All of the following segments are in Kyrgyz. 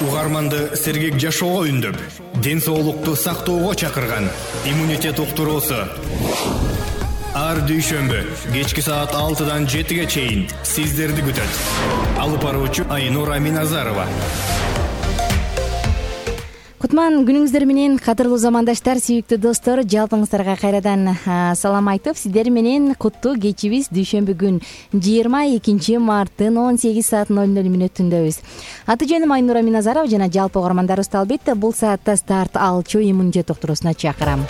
Угарманды сергек жашоого үндөп, ден соолукту сактоого чакырган иммунитет уктуруусу. Ар дүйшөмбү кечки саат 6-дан 7-ге чейин сиздерди күтөт. Алып баруучу Айнура Миназарова. Кутман күнүңүздөр менен, кадырлуу замандаштар, сүйүктүү достор, жалпыңыздарга кайрадан салам айтып, сиздер менен куттуу кечибиз дүйшөмбү күн 22 марттын 18 саат 00 мүнөтүндөбүз. Аты жөнүм Айнура Миназарова жана жалпы угармандарыбызды албетте бул саатта старт алчу иммунитет уктуруусуна чакырам.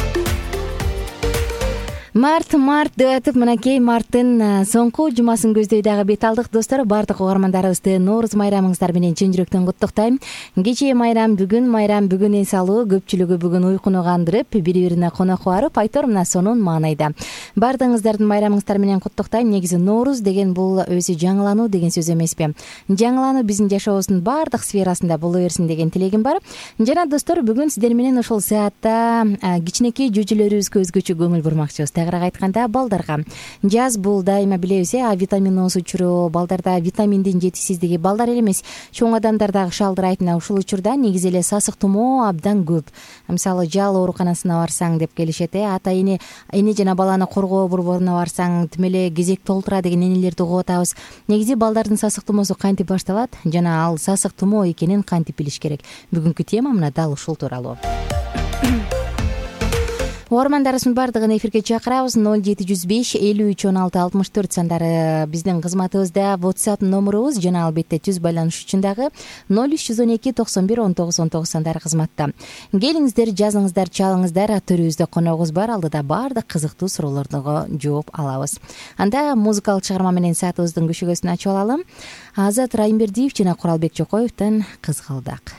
Март деп атып, мынакей марттын соңку жумасын көздөй дагы бет алдык. Достор, бардык угармандарыбызды Нооруз майрамыңыздар менен чын жүрөктөн куттуктайм. Кечээ майрам, бүгүн эс алуу, көпчүлүгү бүгүн уйкуну кандырып, бири-бирине конок барып, айтор мына сонун маанайда. Бардыгыңыздардын майрамыңыздар менен куттуктайм. Негизи Нооруз деген бул өзү жаңылануу деген сөз эмеспи? Жаңылануу биздин жашообуздун бардык сферасында боло берсин деген тилегим бар. Жана достор, бүгүн сиздер менен ошол саатта кичинекей жүжөлөрүбүзгө өзгөчө көңүл бурмакчыбыз. Тагыраак айтканда, балдарга жаз бул дайыма билебиз, А витаминоз учуру, балдарда витаминдин жетишсиздиги, балдар эле эмес, чоң адамдар дагы шалдырайт. Ушул учурда негизи эле сасык тумоо абдан көп. Мисалы, жал ооруканасына барсаң деп келишет, ата эне жана баланы коргоо борборуна барсаң, тим эле кезек толтура деген энелерди угуп атабыз. Негизи балдардын сасык тумоосу кантип башталат жана ал сасык тумоо экенин кантип билиш керек? Бүгүнкү тема мына дал ушул тууралуу. Угармандарыбыздын бардыгын эфирге чакырабыз. 0705 53 16 64 сандары биздин кызматыбызда, WhatsApp номурубуз жана албетте түз байланыш үчүн дагы 0312 91 19 19 сандары кызматта. Келиңиздер, жазыңыздар, чалыңыздар, төрүбүздө коногубуз бар, алдыда бардык кызыктуу суроолорго жооп алабыз. Анда музыкалык чыгарма менен саатыбыздын көшөгөсүн ачып алалым. Азат Райымбердиев жана Куралбек Жокоевден Кызгылдак.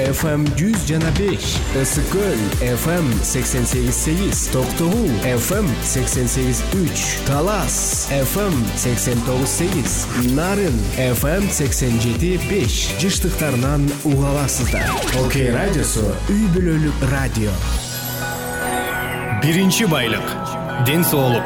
FM 100,5, Ысыкөл FM 88,8, Токтогул FM 88,3, Талас FM 89,8, Нарын FM 87,5 жыштыктарынан уга аласыздар. Окей радиосу үй бүлөлүк радио. Биринчи байлык — ден соолук.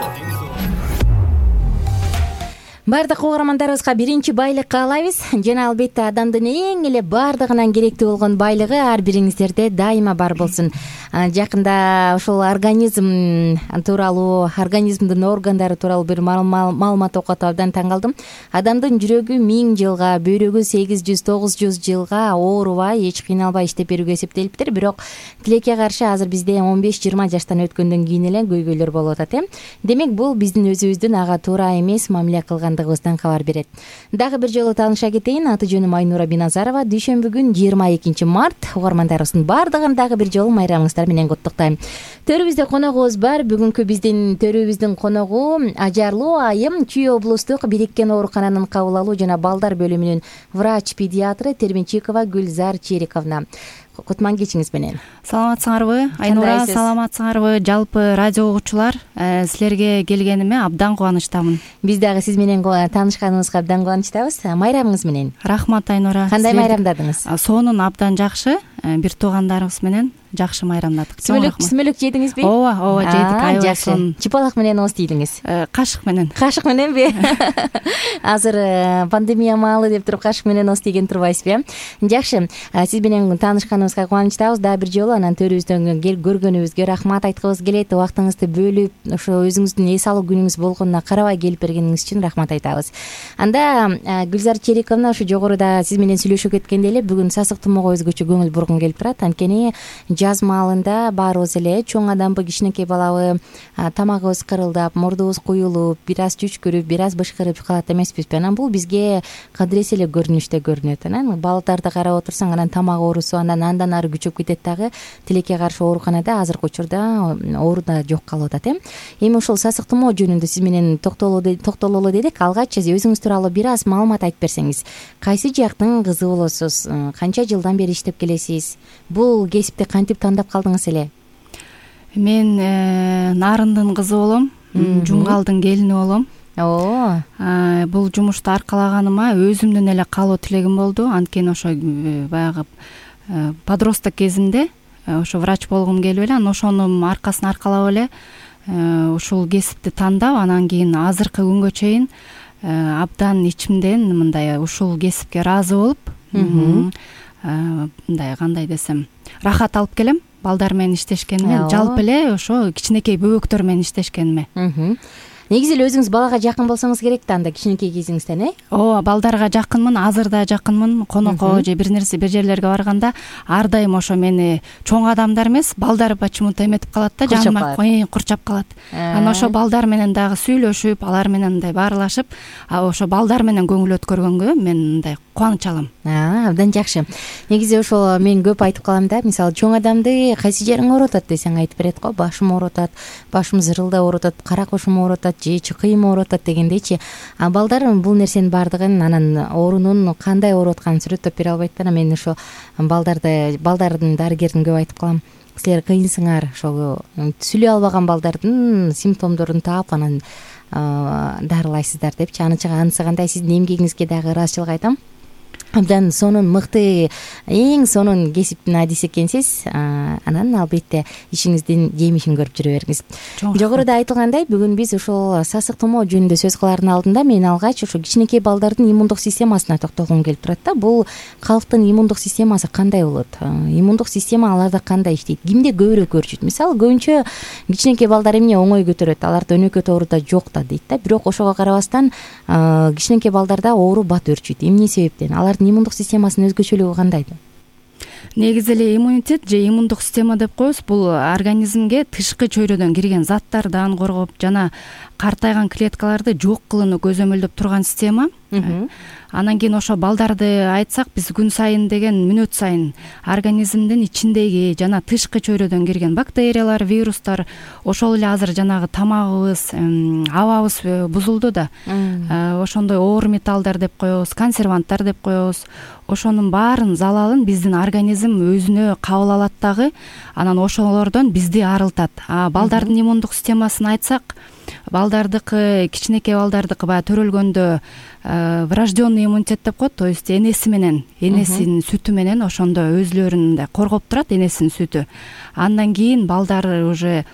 Бардык угармандарыбызга биринчи байлык каалайбыз жана албетте адамдын эң эле бардыгынан керектүү болгон байлыгы ар бириңиздерде дайыма бар болсун. Жакында ошол организм тууралуу, организмдин органдары тууралуу бир маалымат окуп абдан таң калдым. Адамдын жүрөгү 1000 жылга, бөйрөгү 800-900 жылга оорубай, эч кыйналбай иштеп берүүгө эсептелиптир. Бирок тилекке каршы азыр бизде 15-20 жаштан өткөндөн кийин эле көйгөйлөр болуп атат. Демек бул биздин өзүбүздүн ага туура эмес мамиле кылгандыгыбыздан кабар берет. Дагы бир жолу тааныша кетейин. Аты жөнүм Айнура Биназарова. Дүйшөмбү күн 22 март. Угармандарыбыздын бардыгын дагы бир жолу майрамыңыздар менен куттуктайм. Төрүбүздө коногубуз бар. Бүгүнкү биздин төрүбүздүн коногу ажарлуу айым Чүй облустук бириккен оорукананын кабыл алуу жана балдар бөлүмүнүн врач-педиатры Терменчикова Гүлзар Чериковна. Кутман кечиңиз менен. Саламатсыңарбы Айнура, саламатсыңарбы жалпы радио угуучулар? Силерге келгениме абдан кубанычтамын. Биз дагы сиз менен таанышканыбызга абдан кубанычтабыз. Майрамыңыз менен. Рахмат Айнура. Кандай майрамдадыңыз? Сонун абдан жакшы. Бир туугандарыбыз менен жакшы майрамдадык. Сүмөлүк жедиңизби? Ооба, жедик. Жакшы. Чыпалак менен ооз тийдиңиз? Кашык менен. Кашык мененби? Азыр пандемия маалы деп туруп кашык менен ооз тийген турбайсызбы? Жакшы. Сиз менен таанышканыбызга кубанычтабыз. Дагы бир жолу анан төрүбүздөн көргөнүбүзгө рахмат айткыбыз келет. Убактыңызды бөлүп, ошо өзүңүздүн эс алуу күнүңүз болгонуна карабай келип бергениңиз үчүн рахмат айтабыз. Анда Гүлзар Чериковна ушу жогоруда сиз менен сүйлөшүп кеткенде эле бүгүн сасык тумоого өзгөчө көңүл бургум келип турат. Анткени жаз маалында баарыбыз эле чоң адамбы, кичинекей балабы, тамагыбыз кырылдап, мурдубуз куюлуп, бир аз чүчкүрүп, бир аз бышкырып калат эмеспизби? Анан бул бизге кадыресе эле көрүнүштө көрүнөт. Анан балдарды карап отурсаң, анан тамак оорусу андан ары күчөп кетет дагы. Тилекке каршы ооруканада азыркы учурда оору да жок калып атат. Эми ушул сасык тумоо жөнүндө сиз менен токтололу дедик. Алгач өзүңүз тууралуу бир аз маалымат айтып берсеңиз. Кайсы жактын кызы болосуз? Канча жылдан бери иштеп келесиз? Бул кесипти кантип тандап калдыңыз эле? Мен Нарындын кызы болом, Жумгалдын келини болом. Бул жумушту аркалаганыма өзүмдүн эле каалоо тилегим болду. Анткени ошо баягы подросток кезимде ошо врач болгум келип эле, анан ошонун аркасына аркалап эле ушул кесипти тандап, анан кийин азыркы күнгө чейин абдан ичимден мындай ушул кесипке ыраазы болуп, мындай кандай десем, рахат алып келем балдар менен иштешкениме, жалпы эле ошо кичинекей бөбөктөр менен иштешкениме. Негизи эле өзүңүз балага жакын болсоңуз керек да, анда кичинекей кезиңизден, Ооба, балдарга жакынмын, азыр да жакынмын. Конокко же бир жерлерге барганда ар дайым ошо мени чоң адамдар эмес, балдар почему-то эметип калат да, жаныма курчап калат. Анан ошо балдар менен дагы сүйлөшүп, алар менен мындай баарлашып, ошо балдар менен көңүл өткөргөнгө мен мындай кубаныч алам. Абдан жакшы. Негизи ошол мен көп айтып калам да, мисалы чоң адамды кайсы жериң оорутат десең айтып берет го. Башым оорутат, башым зырылдап оорутат, кара кошум оорутат, же чыкыйым оорутат дегендейчи. Балдар бул нерсенин баардыгын, анан оорунун кандай ооруп атканын сүрөттөп бере албайт да. Мен ошо балдардын дарыгерин көп айтып калам. Силер кыйынсыңар, ошол сүйлөй албаган балдардын симптомдорун таап анан дарылайсыздар депчи. Анысы кандай, сиздин эмгегиңизге дагы ыраазычылык айтам. Абдан сонун мыкты, эң сонун кесиптин адиси экенсиз. Анан албетте ишиңиздин жемишин көрүп жүрө бериңиз. Жогоруда айтылгандай, бүгүн биз ушул сасык тумоо жөнүндө сөз кылаардын алдында мен алгач ошо кичинекей балдардын иммундук системасына токтолгум келип турат да. Бул калктын иммундук системасы кандай болот? Иммундук система аларда кандай иштейт? Кимде көбүрөөк өрчүйт? Мисалы, көбүнчө кичинекей балдар эмне оңой көтөрөт, аларда өнөкөт оору да жок да дейт да. Бирок ошого карабастан кичинекей балдарда оору бат өрчүйт. Эмне себептен? Алардын иммундук системасынын өзгөчөлүгү кандай? Негизи эле иммунитет же иммундук система деп коебуз. Бул организмге тышкы чөйрөдөн кирген заттардан коргоп жана картайган клеткаларды жок кылууну көзөмөлдөп турган система. Анан кийин ошо балдарды айтсак, биз күн сайын деген мүнөт сайын организмдин ичиндеги жана тышкы чөйрөдөн кирген бактериялар, вирустар, ошол эле азыр жанагы тамагыбыз, абабыз бузулду да. Ошондой оор металлдар деп коебуз, консерванттар деп коебуз. Ошонун баарын залалын биздин организм өзүнө кабыл алат дагы, анан ошолордон бизди арылтат. Балдардын иммундук системасын айтсак, балдардыкы, кичинекей балдардыкы баягы төрөлгөндө врожденный иммунитет деп коет, то есть энесинин сүтү менен ошондо өзүлөрүн мындай коргоп турат, энесинин сүтү. Андан кийин балдар уже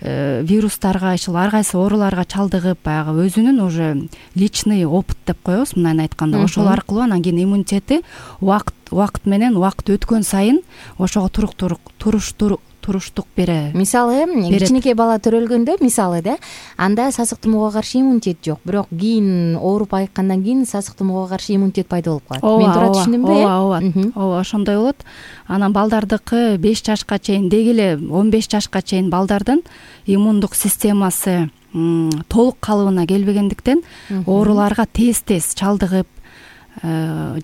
вирустарга, ушул ар кайсы ооруларга чалдыгып, баягы өзүнүн уже личный опыт деп коебуз, мындайын айтканда, ошол аркылуу анан кийин иммунитети убакыт менен убакыт өткөн сайын ошого туруштук берет. Мисалы, кичинекей бала төрөлгөндө, мисалы да, анда сасык тумоого каршы иммунитет жок, бирок кийин ооруп айыккандан кийин сасык тумоого каршы иммунитет пайда болуп калат. Мен туура түшүндүмбү? Ооба, ошондой болот. Анан балдардыкы 5 жашка чейин, деги эле 15 жашка чейин балдардын иммундук системасы толук калыбына келбегендиктен ооруларга тез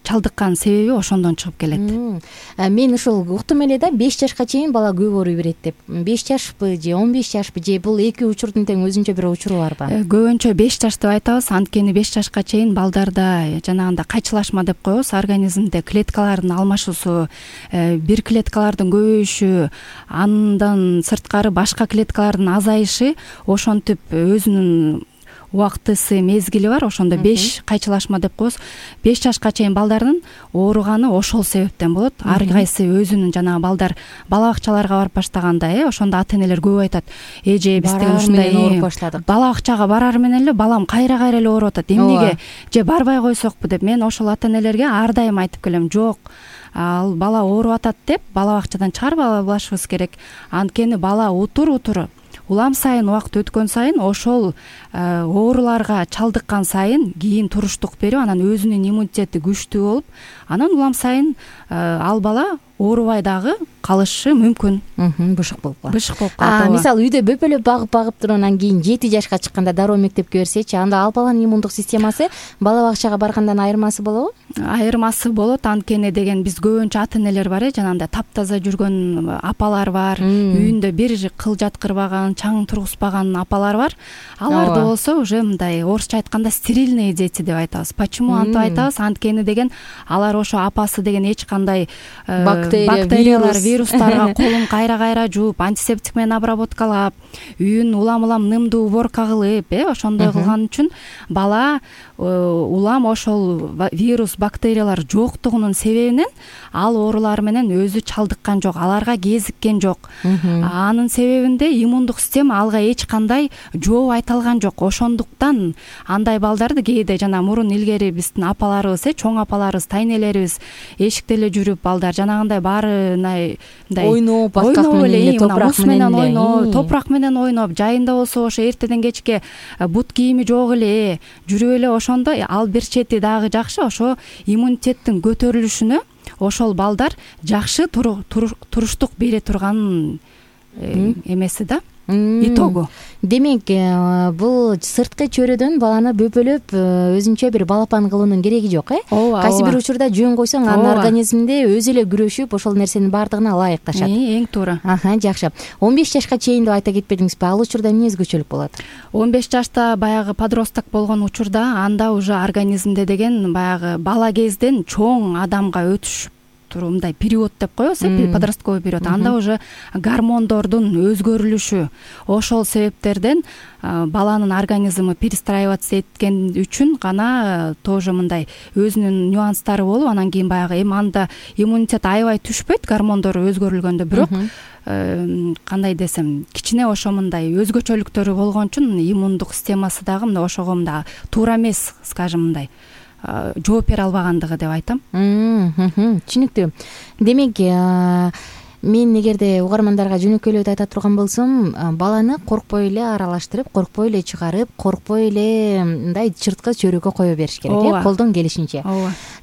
чалдыккан себеби ошондон чыгып келет. Мен ушул уктум эле да, 5 жашка чейин бала көп ооруй берет деп. 5 жашпы же 15 жашпы же бул эки учурдун тең өзүнчө бир учуру барбы? Көбүнчө 5 жаш деп айтабыз, анткени 5 жашка чейин балдарда жанагындай кайчылашма деп коебуз, организмде клеткалардын алмашуусу, бир клеткалардын көбөйүшү, андан сырткары башка клеткалардын азайышы ошентип өзүнүн убактысы, мезгили бар. Ошондо 5 кайчылашма деп коебуз. 5 жашка чейин балдардын ооруганы ошол себептен болот. Ар кайсы өзүнүн жанагы балдар бала бакчаларга барып баштаганда, ошондо ата-энелер көп айтат. Эже биз тең ушундай ооруп баштадык. Бала бакчага барар менен эле балам кайра эле ооруп атат. Эмнеге же барбай койсокпу деп мен ошол ата-энелерге ар дайым айтып келем. Жок, ал бала ооруп атат деп бала бакчадан чыгарып албашыбыз керек. Анткени бала утур улам сайын, убакыт өткөн сайын ошол ооруларга чалдыккан сайын кийин туруштук берип, анан өзүнүн иммунитети күчтүү болуп, анан улам сайын ал бала оорубай дагы калышы мүмкүн. Бышык болуп калат. Мисалы үйдө бөпөлөп багып туруп, анан кийин 7 жашка чыкканда дароо мектепке берсечи, анда ал баланын иммундук системасы бала бакчага баргандан айырмасы болобу? Айырмасы болот, анткени деген биз көбүнчө ата-энелер бар, жанагындай таптаза жүргөн апалар бар, үйүндө бир кыл жаткырбаган, чаң тургузбаган апалар бар. Аларда болсо уже мындай орусча айтканда стерильные дети деп айтабыз. Почему антип айтабыз? Анткени деген алар ошо апасы деген эч кандай бактериялар, вирустарга колун кайра жууп, антисептик менен обработкалап, үйүн улам нымдуу уборка кылып, ошондой кылган үчүн бала улам ошол вирус, бактериялар жоктугунун себебинен ал оорулар менен өзү чалдыккан жок, аларга кезиккен жок. Анын себебинде иммундук система алга эч кандай жооп айта алган жок. Ошондуктан андай балдарды кээде жана мурун илгери биздин апаларыбыз, чоң апаларыбыз, тайнелерибиз эшикте эле жүрүп, балдар жанагындай баары мындай ойноп, топурак менен ойноп, топурак менен ойноп, жайында болсо ошо эртеден кечке бут кийими жок эле жүрүп эле, ошондо ал бир чети дагы жакшы, ошо иммунитеттин көтөрүлүшүнө ошол балдар жакшы туруштук бере турган эмеси да, итогу. Демек, бул сырткы чөйрөдөн баланы бөпөлөп өзүнчө бир балапан кылуунун кереги жок, Кайсы бир учурда жөн койсоң, анын организминде өзү эле күрөшүп, ошол нерсенин баардыгына ылайыкташат. Эң туура. Жакшы. 15 жашка чейин деп айта кетпедиңизби? Ал учурда эмне өзгөчөлүк болот? 15 жашта баягы подросток болгон учурда анда уже организмде деген баягы бала кезден чоң адамга өтүш мындай период деп коебуз, подростковый период. Анда уже гормондордун өзгөрүлүшү, ошол себептерден баланын организми перестраиваться эткен үчүн гана тоже мындай өзүнүн нюанстары болуп, анан кийин баягы анда иммунитет аябай түшпөйт гормондор өзгөрүлгөндө, бирок кандай десем, кичине ошо мындай өзгөчөлүктөрү болгон үчүн иммундук системасы дагы мындай ошого мындай туура эмес, скажем, мындай жооп бере албагандыгы деп айтам. Түшүнүктүү. Демек, мен эгерде угармандарга жөнөкөйлөп айта турган болсом, баланы коркпой эле аралаштырып, коркпой эле чыгарып, коркпой эле мындай чырткы чөйрөгө кое бериш керек, колдон келишинче.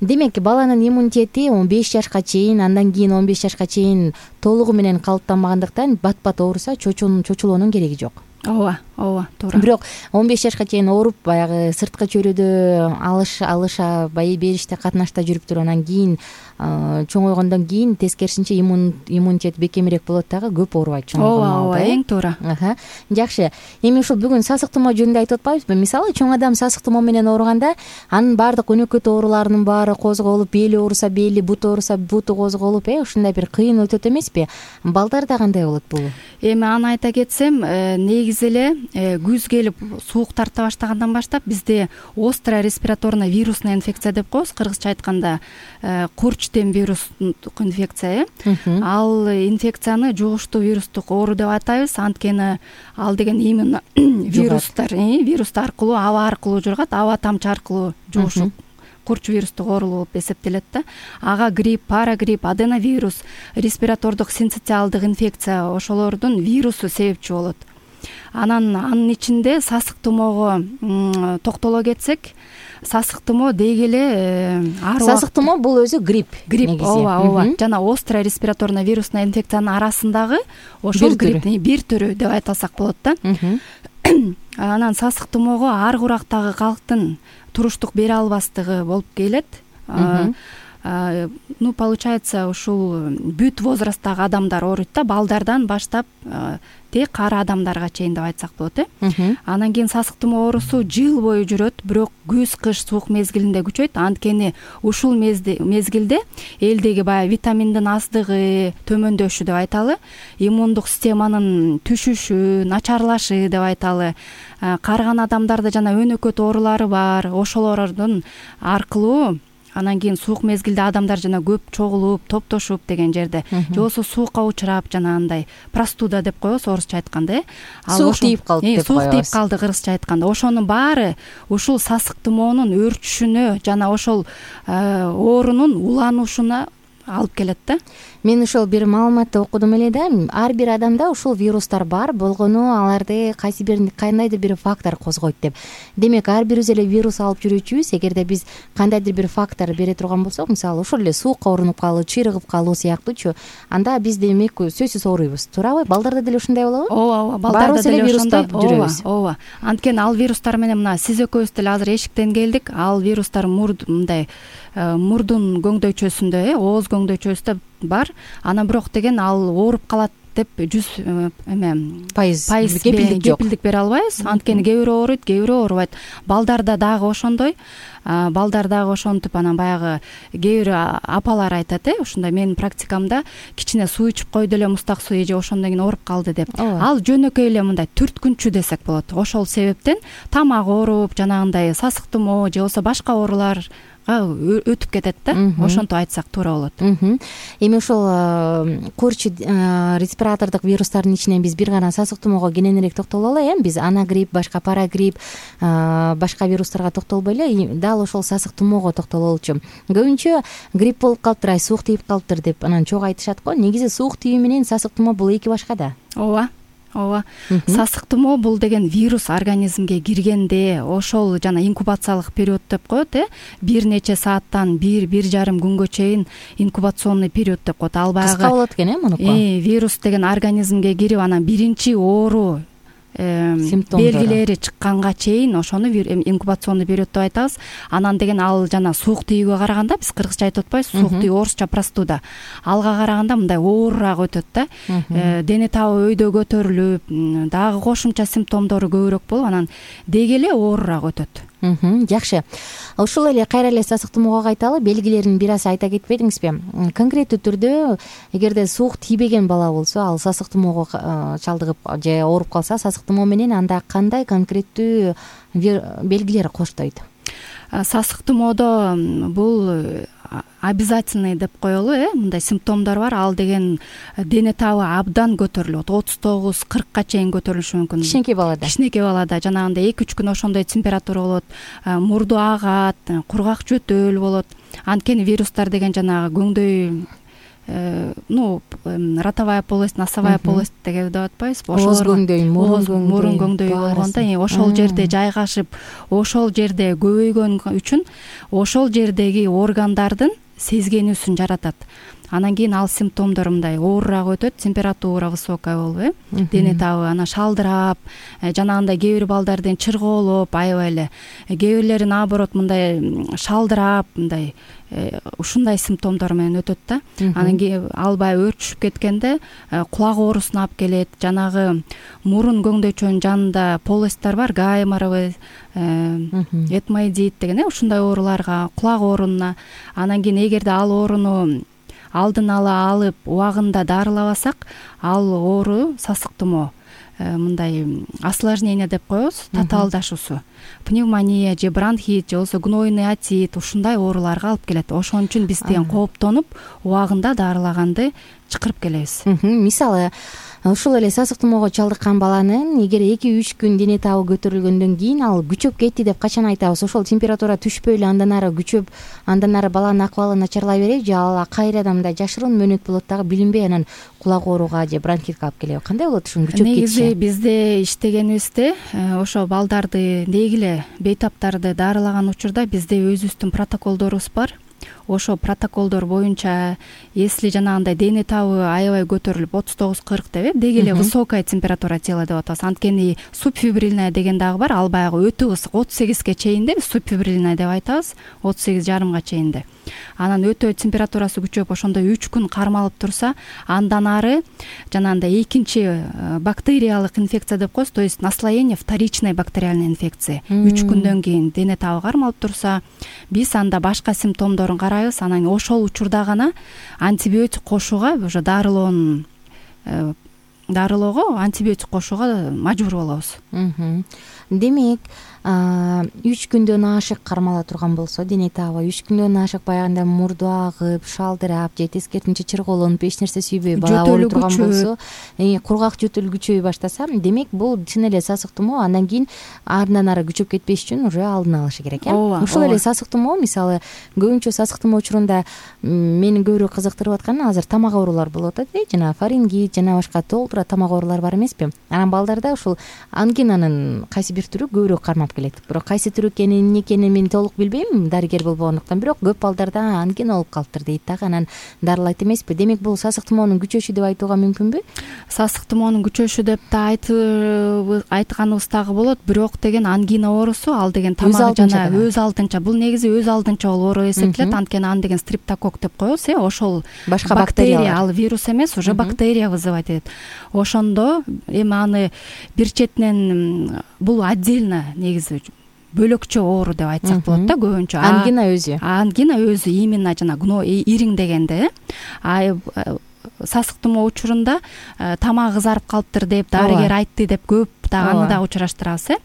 Демек, баланын иммунитети 15 жашка чейин, андан кийин 15 жашка чейин толугу менен калыптанбагандыктан бат-бат ооруса чочулоонун кереги жок. Ооба. ооба туура. Бирок 15 жашка чейин ооруп баягы сырткы чөйрөдө алыша бериште катнашта жүрүп туруп анан кийин чоңойгондон кийин тескерисинче иммунитет бекемирээк болот дагы, көп оорубайт чоңойгон. Ооба, эң туура. Жакшы. Эми ушул бүгүн сасык тумоо жөнүндө айтып атпайбызбы? Мисалы чоң адам сасык тумоо менен ооруганда анын баардык өнөкөт ооруларынын баары козголуп, бели ооруса бели, буту ооруса буту козголуп, ушундай бир кыйын өтөт эмеспи? Балдарда кандай болот бул? Эми аны айта кетсем, негизи эле күз келип суук тарта баштагандан баштап бизде острая респираторная вирусная инфекция деп коебуз, кыргызча айтканда курч дем вирустук инфекция. Ал инфекцияны жугуштуу вирустук оору деп атайбыз. Анткени ал деген именно вирус аркылуу, аба аркылуу жугат, аба тамчы аркылуу жугушу курч вирустук оору болуп эсептелет да. Ага грипп, парагрипп, аденовирус, респиратордук синцитиалдык инфекция ошолордун вирусу себепчи болот. Анын ичинде сасык тумоого токтоло кетсек, сасык тумоо деги эле сасык тумоо бул өзү грипп. Ооба. Жана острая респираторная вирусная инфекциянын арасындагы ошол грипптин бир түрү деп айтсак болот да. Анан сасык тумоого ар курактагы калктын туруштук бере албастыгы болуп келет. Получается, ушул бүт возрасттагы адамдар ооруйт да, балдардан баштап те кары адамдарга чейин деп айтсак болот. Анан кийин сасык тумоо оорусу жыл бою жүрөт, бирок күз-кыш суук мезгилинде күчөйт. Анткени ушул мезгилде элдеги баягы витаминдин аздыгы, төмөндөшү деп айталы, иммундук системанын түшүшү, начарлашы деп айталы, карыган адамдарда жана өнөкөт оорулары бар, ошолордун аркылуу анан кийин суук мезгилде адамдар жана көп чогулуп, топтошуп деген жерде, же болбосо суукка учурап жана андай простуда деп коебуз орусча айтканда, суук тийип калды деп коебуз. Суук тийип калды кыргызча айтканда. Ошонун баары ушул сасык тумоонун өрчүшүнө жана ошол оорунун уланушуна алып келет да. Мен ошол бир маалыматты окудум эле да. Ар бир адамда ушул вирустар бар болгону аларды кандайдыр бир фактор козгойт деп. Демек, ар бирибиз эле вирус алып жүрүүчүбүз. Эгерде биз кандайдыр бир фактор бере турган болсок, мисалы ошол эле суукка орунуп калуу, чыйрыгып калуу сыяктуучу, анда биз демек сөзсүз ооруйбуз. Туурабы? Балдарда деле ушундай болобу? Ооба, балдарда деле ошондой жүрөбүз. Ооба. Анткени ал вирустар менен мына сиз экөөбүз деле азыр эшиктен келдик. Ал вирустар мындай мурдун көңдөйчөсүндө, ооз көңдөйчөсүндө бар. Анан бирок деген ал ооруп калат деп 100% кепилдик бере албайбыз. Анткени кээ бирөө ооруйт, кээ бирөө оорубайт. Балдарда дагы ошондой. Балдар дагы ошентип анан баягы кээ бир апалар айтат, ушундай менин практикамда кичине суу ичип койду эле, мустак суу же ошондон кийин ооруп калды деп. Ал жөнөкөй эле мындай түрткүнчү десек болот. Ошол себептен тамак ооруп, жанагындай сасык тумоо же болбосо башка оорулар өтүп кетет да. Ошентип айтсак туура болот. Эми ошол курч респиратордук вирустардын ичинен биз бир гана сасык тумоого кененирээк токтололу. Биз анагрипп, башка парагрипп, башка вирустарга токтолбой эле дал ошол сасык тумоого токтололучу. Көбүнчө грипп болуп калыптыр, суук тийип калыптыр деп анан чогуу айтышат го. Негизи суук тийүү менен сасык тумоо бул эки башка да. Ооба. Сасык тумоо бул деген вирус организмге киргенде ошол жана инкубациялык период деп коет, бир нече сааттан 1-1,5 күнгө чейин инкубационный период деп коет. Ал баягы кыска болот экен, мунуку. Вирус деген организмге кирип анан биринчи оору белгилери чыкканга чейин ошону инкубационный период деп айтабыз. Анан деген ал жана суук тийүүгө караганда, биз кыргызча айтып атпайбыз, суук тийүү орусча простуда. Алга караганда мындай оорураак өтөт да. Дене табы өйдө көтөрүлүп, дагы кошумча симптомдору көбүрөөк болуп, анан деги эле оорураак өтөт. Жакшы. Ушул эле кайра эле сасык тумоого кайталы. Белгилерин бир аз айта кетпедиңизби? Конкреттүү түрдө эгерде суук тийбеген бала болсо, ал сасык тумоого чалдыгып же ооруп калса, сасык тумоо менен анда кандай конкреттүү белгилер коштойт? Сасык тумоодо бул обязательный деп коелу, мындай симптомдор бар. Ал деген дене табы абдан көтөрүлөт. 39-40ка чейин көтөрүлүшү мүмкүн. Кичинекей балада жанагындай 2-3 күн ошондой температура болот, мурду агат, кургак жөтөл болот. Анткени вирустар деген жанагы көңдөй ротовая полость, носовая полость деп атпайбызбы? Ооз көңдөй, мурун көңдөй болгондо ошол жерде жайгашып, ошол жерде көбөйгөн үчүн ошол жердеги органдардын сезгенүүсүн жаратат. анан кийин ал симптомдор мындай оорураак өтөт, температура высокая болуп, дене табы анан шалдырап, жанагындай кээ бир балдардын чыргоолоп, аябай эле, кээ бирлери наоборот мындай шалдырап, мындай ушундай симптомдор менен өтөт да. Анан кийин албай өрчүшүп кеткенде кулак оорусуна алып келет, жанагы мурун көңдөчөнүн жанында полосттар бар, гайморовый, этмоидит деген ушундай ооруларга, кулак ооруна. Анан кийин эгерде ал ооруну алдын ала алып убагында дарылабасак, ал оору сасык тумоо, мындай осложнение деп коебуз, татаалдашуусу, пневмония же бронхит же болбосо гнойный отит, ушундай ооруларга алып келет. Ошон үчүн биз деген кооптонуп убагында дарылаганды чакырып келебиз. Мисалы ушул эле сасык тумоого чалдыккан баланын эгер 2-3 күн дене табы көтөрүлгөндөн кийин ал күчөп кетти деп качан айтабыз? Ошол температура түшпөй эле андан ары күчөп, андан ары баланын акыбалы начарлай береби же ал кайрадан мындай жашыруун мөөнөт болот дагы билинбей анан кулак ооруга же бронхитке алып келеби? Кандай болот ушунун күчөп кетиши? Негизи бизде иштегенибизде ошо балдарды, деги эле бейтаптарды дарылаган учурда бизде өзүбүздүн протоколдорубуз бар. Ошо протоколдор боюнча, если жанагындай дене табы аябай көтөрүлүп 39-40 деп, деги эле высокая температура тела деп атабыз. Анткени субфибрильная деген дагы бар, ал баягы өтө ысык, 38ге чейинде субфибрильная деп айтабыз, 38,5га чейинде. Анан өтө температурасы күчөп ошондой 3 күн кармалып турса, андан ары жанагындай экинчи бактериялык инфекция деп коебуз, то есть наслоение вторичной бактериальной инфекции. 3 күндөн кийин дене табы кармалып турса, биз анда башка симптомдорун карайбыз. Анан ошол учурда гана антибиотик кошууга, уже дарылоого антибиотик кошууга мажбур болобуз. Демек, 3 күндөн ашык кармала турган болсо дене табы, 3 күндөн ашык баягындай мурду агып, шалдырап же тескерисинче чырголонуп, эч нерсе сүйбөй бала ооруй турган болсо, кургак жөтөлү күчөй баштаса, демек бул чын эле сасык тумоо. Андан кийин андан ары күчөп кетпеш үчүн уже алдын алышы керек, Ушул эле сасык тумоо, мисалы көбүнчө сасык тумоо учурунда мени көбүрөөк кызыктырып атканы азыр тамак оорулар болуп атат, жана фарингит жана башка толтура тамак оорулар бар эмеспи? Анан балдарда ушул ангинанын кайсы бир түрү көбүрөөк кармап келет. Бирок кайсы түрү экенин, эмне экенин мен толук билбейм, дарыгер болбогондуктан, бирок көп балдарда ангина болуп калыптыр дейт дагы, анан дарылайт эмеспи? Демек бул сасык тумоонун күчөшү деп айтууга мүмкүнбү? Сасык тумоонун күчөшү деп да айтканыбыз дагы болот, бирок деген ангина оорусу, ал деген тамак жана өз алдынча, бул негизи өз алдынча оору эсептелет. Анткени аны деген стриптокок деп коебуз, ошол башка бактерия, ал вирус эмес, уже бактерия вызывать этет. Ошондо эми аны бир четинен бул отдельно негизи бөлөкчө оору деп айтсак болот да, көбүнчө. Ангина өзү именно жана ириң дегенде, сасык тумоо учурунда тамак кызарып калыптыр деп дарыгер айтты деп көп дагы аны да учураштырабыз.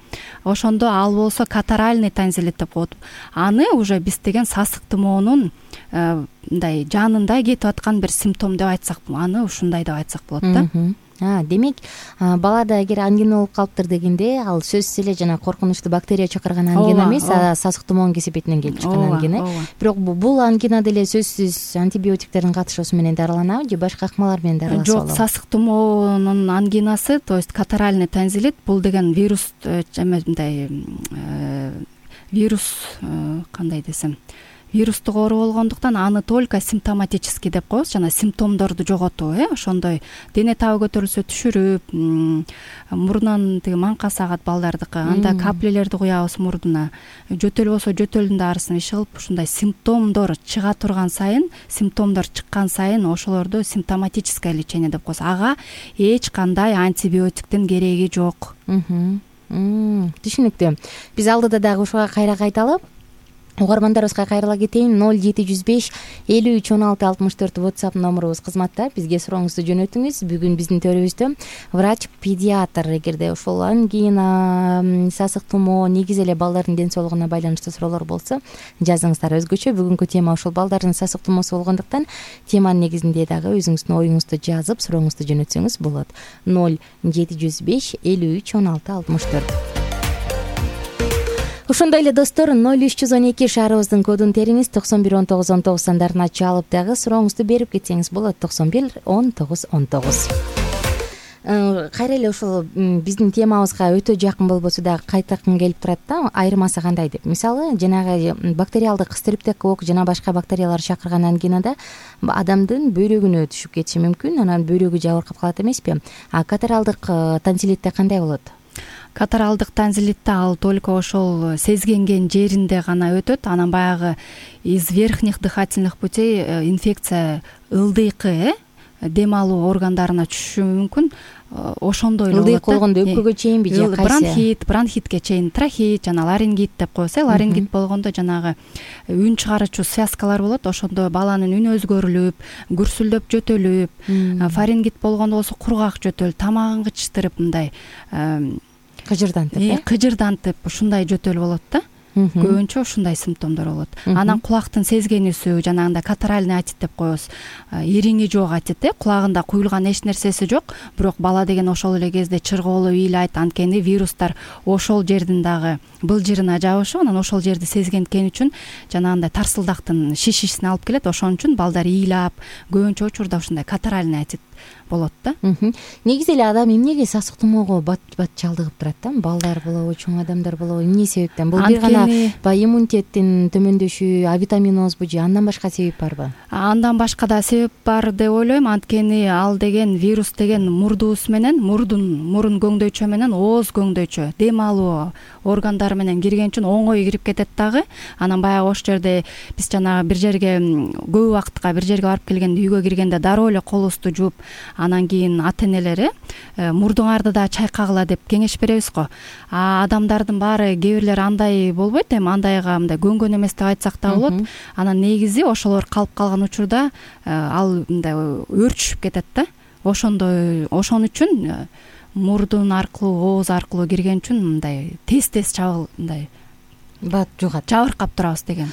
Ошондо ал болсо катаральный тонзиллит деп коет. Аны уже биз деген сасык тумоонун мындай жанында кетип аткан бир симптом деп айтсак, аны ушундай деп айтсак болот да. Демек, балада эгер ангина болуп калыптыр дегенде, ал сөзсүз эле жана коркунучтуу бактерия чакырган ангина эмес, сасык тумоонун кесепетинен келип чыккан ангина. Бирок бул ангина деле сөзсүз антибиотиктердин катышуусу менен дарыланабы же башка ыкмалар менен дарыласа болобу? Жок, сасык тумоонун ангинасы, то есть катаральный тонзиллит, бул деген вирус, мындай вирус, кандай десем, вирустук оору болгондуктан аны только симптоматический деп коебуз, жана симптомдорду жоготуу, ошондой дене табы көтөрүлсө түшүрүп, мурунан тиги маңка сагат балдардыкы, анда каплелерди куябыз мурдуна, жөтөл болсо жөтөлдүн дарысын иш кылып, ушундай симптомдор чыга турган сайын, симптомдор чыккан сайын ошолорду симптоматическое лечение деп коебуз. Ага эч кандай антибиотиктин кереги жок. Түшүнүктүү. Биз алдыда дагы ушуга кайра кайталы. Угармандарыбызга кайрыла кетейин. 0705 53 16 64 WhatsApp номурубуз кызматта. Бизге сурооңузду жөнөтүңүз. Бүгүн биздин төрүбүздө врач-педиатр, эгерде ошол ангина, сасык тумоо, негизи эле балдардын ден соолугуна байланыштуу суроолор болсо жазыңыздар. Өзгөчө бүгүнкү тема ошол балдардын сасык тумоосу болгондуктан теманын негизинде дагы өзүңүздүн оюңузду жазып, сурооңузду жөнөтсөңүз болот. 0705 53 16 64. Ошондой эле достор, 0312 шаарыбыздын кодун териңиз, 91 19 19 сандарын чалып дагы сурооңузду берип кетсеңиз болот. 91 19 19. кайра эле ушул биздин темабызга өтө жакын болбосо дагы кайтакын келип турат да, айырмасы кандай деп. Мисалы жанагы бактериалдык стрептококк жана башка бактериялар чакырган ангинада адамдын бөйрөгүнө түшүп кетиши мүмкүн, анан бөйрөгү жабыркап калат эмеспи? А катаралдык танзилитте кандай болот? Катаралдык танзилитте ал только ошол сезгенген жеринде гана өтөт. Анан баягы из верхних дыхательных путей инфекция ылдыйкы дем алуу органдарына түшүшү мүмкүн. Ошондой эле болот. Ылдыйкы болгондо өпкөгө чейинби же кайсы? Бронхитке чейин, трахеит жана ларингит деп коебуз. Ларингит болгондо жанагы үн чыгаруучу связкалар болот. Ошондо баланын үнү өзгөрүлүп, гүрсүлдөп жөтөлүп, фарингит болгондо болсо кургак жөтөл, тамагын кычтырып мындай кыжырдантып ушундай жөтөл болот да. Көбүнчө ушундай симптомдор болот. Анан кулактын сезгенүүсү, жанагындай катаральный отит деп коебуз. Ириңи жок отит, кулагында куюлган эч нерсеси жок, бирок бала деген ошол эле кезде чыргоолуп ыйлайт. Анткени вирустар ошол жердин дагы былжырына жабышып, анан ошол жерди сезгенткени үчүн жанагындай тарсылдактын шишисин алып келет. Ошон үчүн балдар ыйлап, көбүнчө учурда ушундай катаральный отит болот да. Негизи эле адам эмнеге сасык тумоого бат чалдыгып турат да? Балдар болобу, чоң адамдар болобу, эмне себептен? Бул бир гана иммунитеттин төмөндөшү, авитаминозбу же андан башка себеп барбы? Андан башка да себеп бар деп ойлойм. Анткени ал деген вирус деген мурдубуз менен, мурун көңдөйчө менен ооз көңдөйчө, дем алуу органдары менен кирген үчүн оңой кирип кетет дагы. Анан баягы ошол жерде биз жанагы бир жерге көп убакытка бир жерге барып келгенде, үйгө киргенде дароо эле колубузду жууп, анан кийин ата энелери мурдуңарды да чайкагыла деп кеңеш беребиз го. Адамдардын баары кээ бирлер андай болбойт, эми андайга мындай көнгөн эмес деп айтсак да болот. Анан негизи ошолор калып калган учурда ал мындай өрчүшүп кетет да. Ошон үчүн мурдун аркылуу, ооз аркылуу кирген үчүн мындай тез мындай бат жугат, жабыркап турабыз деген.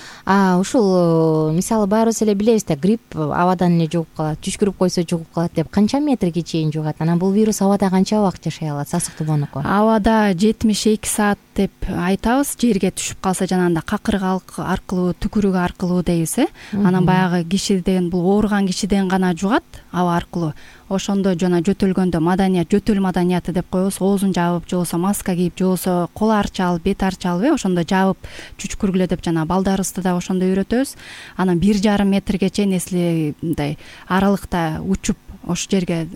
Ушул мисалы баарыбыз эле билебиз да, грипп абадан эле жугуп калат, түшкүрүп койсо жугуп калат деп. Канча метрге чейин жугат? Анан бул вирус абада канча убакыт жашай алат, сасык тумоонуку? Абада 72 саат деп айтабыз. Жерге түшүп калса жанагындай какырык аркылуу, түкүрүк аркылуу дейбиз. Анан баягы кишиден, бул ооруган кишиден гана жугат аба аркылуу. Ошондо жана жөтөлгөндө жөтөл маданияты деп коебуз. Оозун жаап, же болбосо маска кийип, же болбосо кол арчалып, бет арчалып, ошондо жаап чүчкүргүлө деп жана балдарыбызды да ошондой үйрөтөбүз. Анан 1,5 метрге чейин эсли мындай аралыкта учуп ошол жерге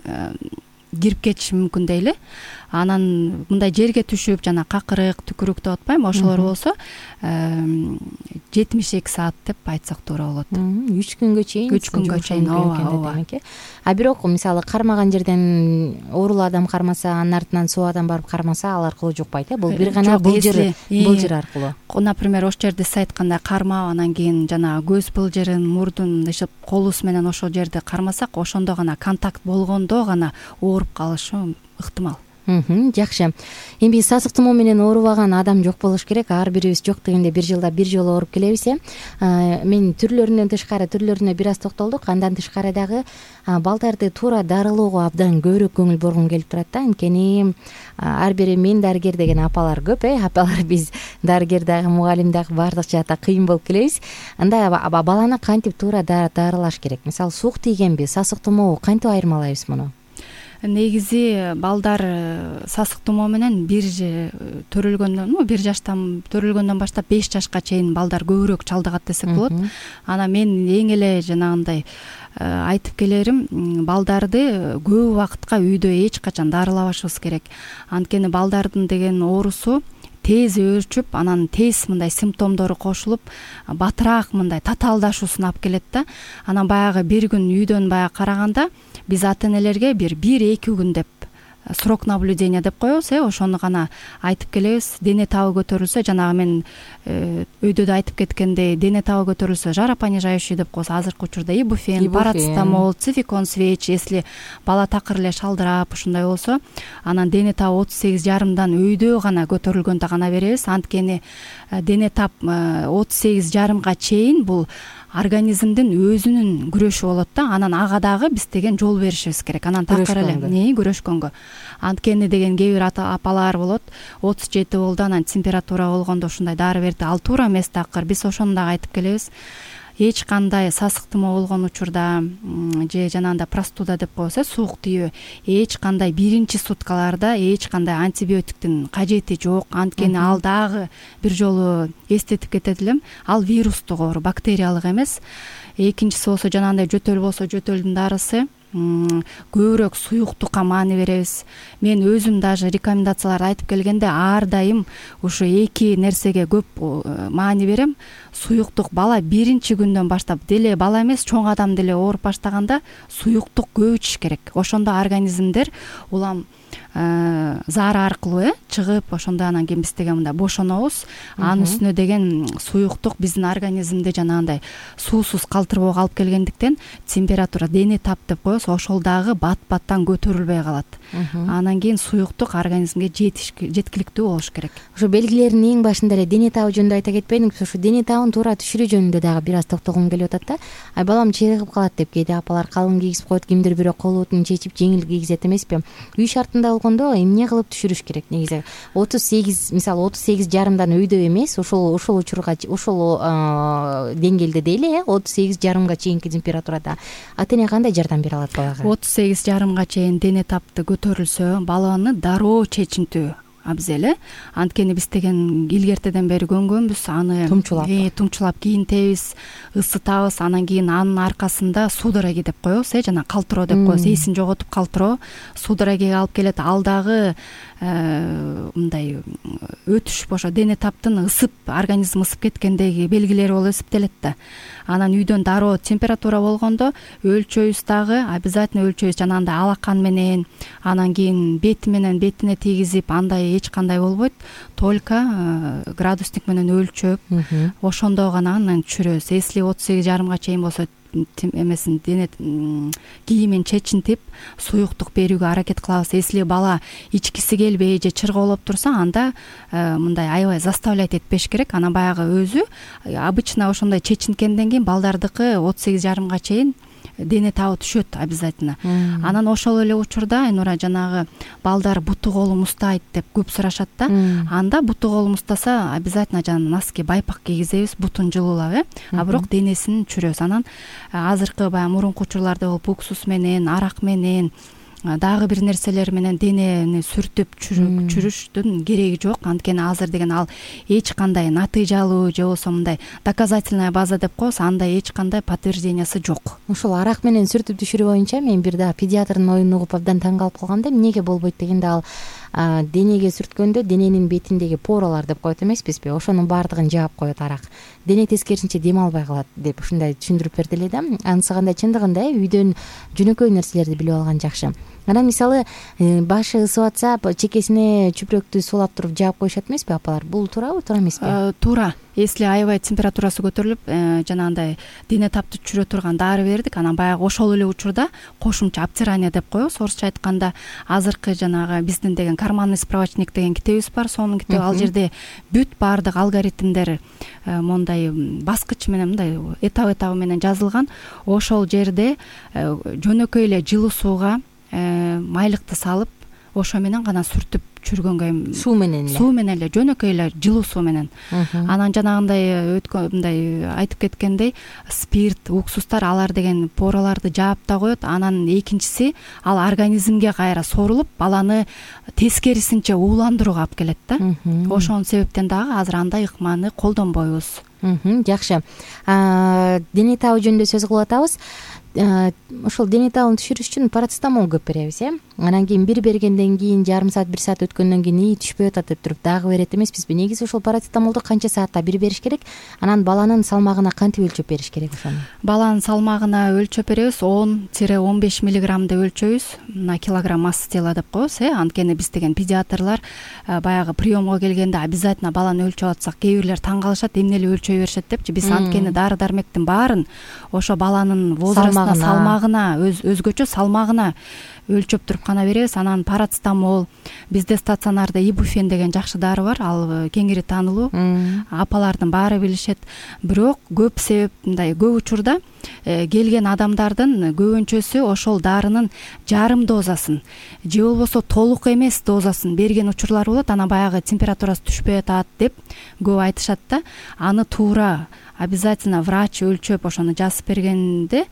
кирип кетиши мүмкүн дейли. Анан мындай жерге түшүп жана какырык, түкүрүк деп атпайбы, ошолор болсо 72 саат деп айтсак туура болот. 3 күнгө чейин. 3 күнгө чейин, ооба. Бирок мисалы кармаган жерден оорулуу адам кармаса, анын артынан соо адам барып кармаса, ал аркылуу жукпайт. Бул бир гана былжыр аркылуу. Например, ошол жерде сиз айткандай кармап, анан кийин жана көз былжырын, мурдун ишип, колубуз менен ошол жерди кармасак, ошондо гана контакт болгондо гана ооруп калышы ыктымал. Жакшы. Эми сасык тумоо менен оорубаган адам жок болуш керек. Ар бирибиз жок дегенде бир жылда бир жолу ооруп келебиз. Мен түрлөрүнө бир аз токтолдук. Андан тышкары дагы балдарды туура дарылоого абдан көбүрөөк көңүл бургум келип турат да. Анткени ар бир мен дарыгер деген апалар көп, апалар биз дарыгер дагы, мугалим дагы баардык жаатта кыйын болуп келебиз. Анда баланы кантип туура дарылаш керек? Мисалы суук тийгенби, сасык тумообу кантип айырмалайбыз муну? Негизи балдар сасык тумоо менен бир жаштан төрөлгөндөн баштап 5 жашка чейин балдар көбүрөөк чалдыгат десек болот. Анан мен эң эле жанагындай айтып келерим, балдарды көп убакытка үйдө эч качан дарылабашыбыз керек. Анткени балдардын деген оорусу тез өөрчүп, анан тез мындай симптомдору кошулуп, батыраак мындай татаалдашуусуна алып келет да. Анан баягы бир күн үйдөн баягы караганда биз ата энелерге бир 1-2 күн деп срок наблюдения деп коебуз, ошону гана айтып келебиз. Дене табы көтөрүлсө, жанагы мен өйдө да айтып кеткендей, дене табы көтөрүлсө жаропонижающий деп коебуз. Азыркы учурда ибуфен, парацетамол, цификон свеч, если бала такыр эле шалдырап ушундай болсо, анан дене табы 38,5дан өйдө гана көтөрүлгөндө гана беребиз. Анткени дене таб 38,5га чейин бул организмдин өзүнүн күрөшү болот да. Анан ага дагы биз деген жол беришибиз керек. Анан такыр эле күрөшкөнгө. Анткени деген кээ бир апалар болот, 37 болду, анан температура болгондо ушундай дары берди. Ал туура эмес такыр. Биз ошону дагы айтып келебиз. эч кандай сасыктырма болгон учурда же жанагындай простуда деп коебуз, суук тийүү, эч кандай биринчи суткаларда эч кандай антибиотиктин кажети жок. Анткени ал дагы бир жолу эстетип кетет элем, ал вирустук оору, бактериялык эмес. Экинчиси болсо жанагындай жөтөл болсо жөтөлдүн дарысы. Көбүрөөк суюктукка маани беребиз. Мен өзүм даже рекомендацияларды айтып келгенде ар дайым ушу эки нерсеге көп маани берем. Суюктук бала биринчи күндөн баштап деле бала эмес, чоң адам деле ооруп баштаганда суюктук көп ичиш керек. Ошондо организмдер улам заара аркылуу чыгып, ошондо анан кийин биз деген мындай бошонобуз. Анын үстүнө деген суюктук биздин организмде жанагындай суусуз калтырбоого алып келгендиктен температура, дене тап деп коебуз, ошол дагы бат-баттан көтөрүлбөй калат. Анан кийин суюктук организмге жеткиликтүү болуш керек. Ошо белгилердин эң башында эле дене табы жөнүндө айта кетпедиңизби? Ошо дене табын туура түшүрүү жөнүндө дагы бир аз токтолгум келип атат да. Ай балам чыгып калат деп кээде апалар калың кийгизип коет, кимдир бирөө колбутун чечип жеңил кийгизет эмеспи? Үй шартында болгондо эмне кылып түшүрүш керек негизи? 38, мисалы 38,5дан өйдө эмес, ошол учурга, ошол деңгээлде дейли, 38,5га чейинки температурада ата эне кандай жардам бере алат балага? 38,5га чейин дене тапты көтөрүлсө, баланы дароо чечинтүү абзел. Анткени биз деген илгертеден бери көнгөнбүз, аны тумчулап кийинтебиз, ысытабыз, анан кийин анын аркасында судороги деп коебуз, жана калтыроо деп коебуз, эсин жоготуп калтыроо судорогиге алып келет. Ал дагы мындай өтүшүп, ошо дене таптын ысып, организм ысып кеткендеги белгилери болуп эсептелет да. Анан үйдөн дароо температура болгондо өлчөйбүз, дагы обязательно өлчөйбүз, жанагындай алакан менен, анан кийин бетине тийгизип, андай эч кандай болбойт, только градусник менен өлчөп, ошондо гана анан түшүрөбүз. Если 38,5га чейин болсо эмесин дене кийимин чечинтип суюктук берүүгө аракет кылабыз. Если бала ичкиси келбей же чырголоп турса, анда мындай аябай заставлять этпеш керек. Анан баягы өзү обычно ошондой чечинткенден кийин балдардыкы 38,5га чейин дене табы түшөт обязательно. Анан ошол эле учурда Айнура, жанагы балдар буту колу мустайт деп көп сурашат да. Анда буту колу мустаса обязательно жана носки, байпак кийгизебиз, бутун жылуулап, а бирок денесин түшүрөбүз. Анан азыркы баягы мурунку учурларда болуп уксус менен, арак менен, дагы бир нерселер менен денени сүртүп чүрүштүн кереги жок. Анткени азыр деген ал эч кандай натыйжалуу же болбосо мындай доказательная база деп коебуз, андай эч кандай подтверждениясы жок. Ошол арак менен сүртүп түшүрүү боюнча мен бир да педиатрдын оюн угуп абдан таң калып калгам да. Эмнеге болбойт дегенде, ал денеге сүрткөндө дененин бетиндеги поралар деп коет эмеспизби, ошонун баардыгын жаап коет арак. Дене тескерисинче дем албай калат деп ушундай түшүндүрүп берди эле да. Анысы кандай, чындыгында үйдөн жөнөкөй нерселерди билип алган жакшы. Анан мисалы башы ысып атса, чекесине чүпүрөктү сулап туруп жаап коюшат эмеспи апалар? Бул туурабы, туура эмеспи? Туура. Если аябай температурасы көтөрүлүп, жанагындай дене тапты түшүрө турган дары бердик, анан баягы ошол эле учурда кошумча обтирание деп коебуз, орусча айтканда. Азыркы жанагы биздин деген карманный справочник деген китебибиз бар, сонун китеби. Ал жерде бүт баардык алгоритмдер мондай баскыч менен, мындай этап менен жазылган. Ошол жерде жөнөкөй эле жылуу сууга майлыкты салып, ошо менен гана сүртүп чүргөнгө, суу менен эле жөнөкөй эле жылуу суу менен. Анан жанагындай мындай айтып кеткендей, спирт, уксустар, алар деген пораларды жаап да коет. Анан экинчиси, ал организмге кайра сорулуп, баланы тескерисинче ууландырууга алып келет да. Ошонун себептен дагы азыр андай ыкманы колдонбойбуз. Жакшы. Дене табы жөнүндө сөз кылып атабыз. Ошол дене табын түшүрүш үчүн парацетамол көп беребиз, Анан кийин бир бергенден кийин жарым саат, 1 саат өткөндөн кийин ии түшпөй атат деп туруп дагы берет эмеспизби? Негизи ошол парацетамолду канча саатта бир бериш керек? Анан баланын салмагына кантип өлчөп бериш керек ошону? Баланын салмагына өлчөп беребиз, 10-15 миллиграмм деп өлчөйбүз. Мына килограмм масса тела деп коебуз, Анткени биз деген педиатрлар баягы приемго келгенде обязательно баланы өлчөп атсак, кээ бирлер таң калышат, эмне эле өлчөй беришет депчи. Биз анткени дары дармектин баарын ошо баланын возраст салмагына өзгөчө салмагына өлчөп туруп гана беребиз. Анан парацетамол, бизде стационарда ибуфен деген жакшы дары бар, ал кеңири таанылуу, апалардын баары билишет. Бирок көп себеп мындай, көп учурда келген адамдардын көбүнчөсү ошол дарынын жарым дозасын же болбосо толук эмес дозасын берген учурлар болот. Анан баягы температурасы түшпөй атат деп көп айтышат да. Аны туура обязательно врач өлчөп ошону жазып бергенде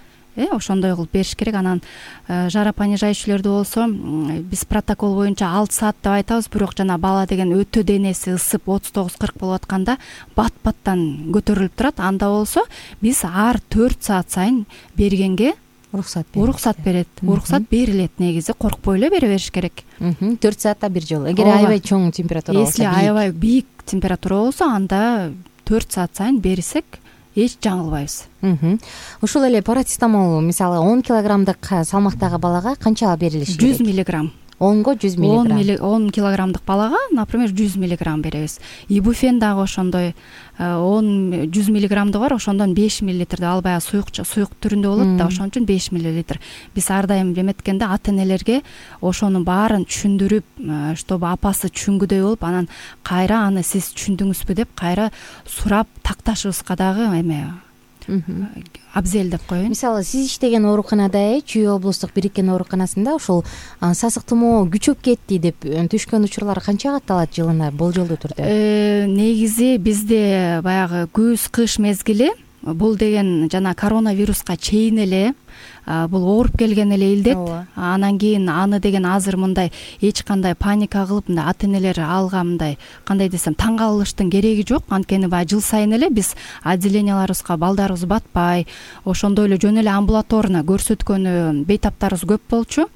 ошондой кылып бериш керек. Анан жаропонижающийлерди болсо биз протокол боюнча 6 саат деп айтабыз, бирок жана бала деген өтө денеси ысып 39-40 болуп атканда бат-баттан көтөрүлүп турат. Анда болсо биз ар 4 саат сайын бергенге уруксат берет. Уруксат берилет негизи, коркпой эле бере бериш керек. 4 саатта бир жолу. Эгер аябай чоң температура болсо, если аябай бийик температура болсо, анда 4 саат сайын берсек эч жаңылбайбыз. Ушул эле парацетамол мисалы 10 килограммдык салмактагы балага канча берилиш керек? 100 миллиграмм. 10го 100 миллиграмм. 10 килограммдык балага, например, 100 миллиграмм беребиз. Ибуфен дагы ошондой 100 миллиграммды бар, ошондон 5 миллилитр, ал баягы суюк түрүндө болот да, ошон үчүн 5 миллилитр. Биз ар дайым эметкенде ата-энелерге ошонун баарын түшүндүрүп, чтобы апасы түшүнгүдөй болуп, анан кайра аны сиз түшүндүңүзбү деп кайра сурап такташыбызга дагы абзел деп коеюн. Мисалы, сиз иштеген ооруканада, Чүй облустук бириккен ооруканасында ушул сасык тумоо күчөп кетти деп түшкөн учурлар канча катталат жылына болжолдуу түрдө? Негизи бизде баягы күз-кыш мезгили бул деген жана коронавируска чейин эле бул ооруп келген эле илдет. Анан кийин аны деген азыр мындай эч кандай паника кылып, мындай ата-энелер алга мындай кандай десем таң калыштын кереги жок. Анткени баягы жыл сайын эле биз отделенияларыбызга балдарыбыз батпай, ошондой эле жөн эле амбулаторно көрсөткөнү бейтаптарыбыз көп болчу.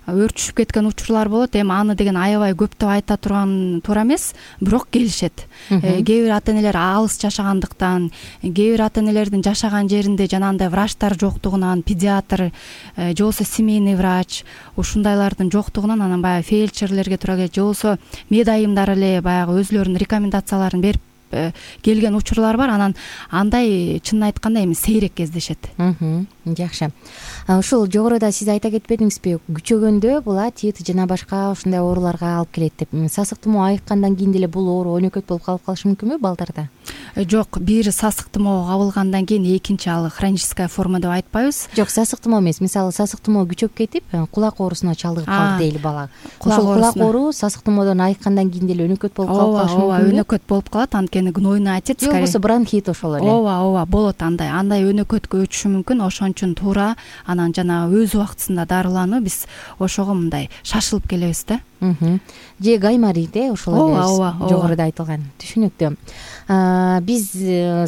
Өртүшүп кеткен учурлар болот. Эми аны деген аябай көп деп айта турган туура эмес, бирок келишет. Кээ бир ата-энелер алыс жашагандыктан, кээ бир ата-энелердин жашаган жеринде жанагындай врачтар жоктугунан, педиатр же болбосо семейный врач ушундайлардын жоктугунан, анан баягы фельдшерлерге туура келет, же болбосо медайымдар эле баягы өзүлөрүнүн рекомендацияларын берип келген учурлар бар. Анан андай чынын айтканда эми сейрек кездешет. Жакшы. Ушул жогоруда сиз айта кетпедиңизби, күчөгөндө бул тит жана башка ушундай ооруларга алып келет деп. Сасык тумоо айыккандан кийин деле бул оору өнөкөт болуп калып калышы мүмкүнбү балдарда? Жок, бир сасык тумоо кабылгандан кийин экинчи ал хроническая форма деп айтпайбыз. Жок, сасык тумоо эмес. Мисалы, сасык тумоо күчөп кетип, кулак оорусуна чалдыгып калды дейли бала. Ошол кулак оору сасык тумоодон айыккандан кийин деле өнөкөт болуп калып калышы мүмкүнбү? Ооба, өнөкөт болуп калат. Анткени гнойный отец, же болбосо бронхит ошол эле. Ооба, болот андай өнөкөткө өтүшү мүмкүн. Ошон үчүн туура анан жана өз убактысында дарылануу биз ошого мындай шашылып келебиз да. Же гайморит ошол эле жогоруда айтылган. Түшүнүктүү. Биз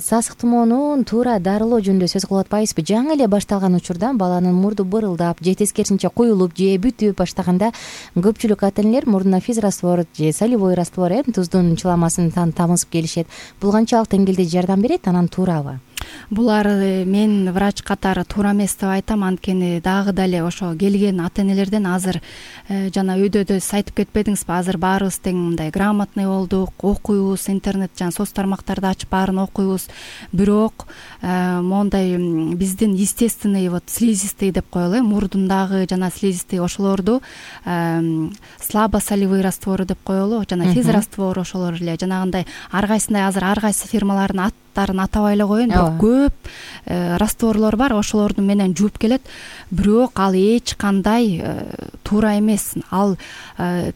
сасык тумоонун туура дарылоо жөнүндө сөз кылып атпайбызбы? Жаңы эле башталган учурда баланын мурду бырылдап же тескерисинче куюлуп же бүтүп баштаганда көпчүлүк ата-энелер мурдуна физраствор же солевой раствор туздун чыламасын тамызып келишет. Бул канчалык деңгээлде жардам берет, анан туурабы? Булар мен врач катары туура эмес деп айтам. Анткени дагы дале ошо келген ата-энелерден азыр жана үйдө сиз айтып кетпедиңизби, азыр баарыбыз тең мындай грамотный болдук, окуйбуз, интернет жана соц тармактарды ачып баарын окуйбуз. Бирок мондай биздин естественный слизистый деп коелу, мурдундагы жана слизистый ошолорду слабосолевый раствору деп коелу, жана физраствор ошолор эле жанагындай ар кайсындай азыр ар кайсы фирмалардын аттарын атабай эле коеюн, бирок көп растворлор бар, ошолорду менен жууп келет. Бирок ал эч кандай туура эмес. Ал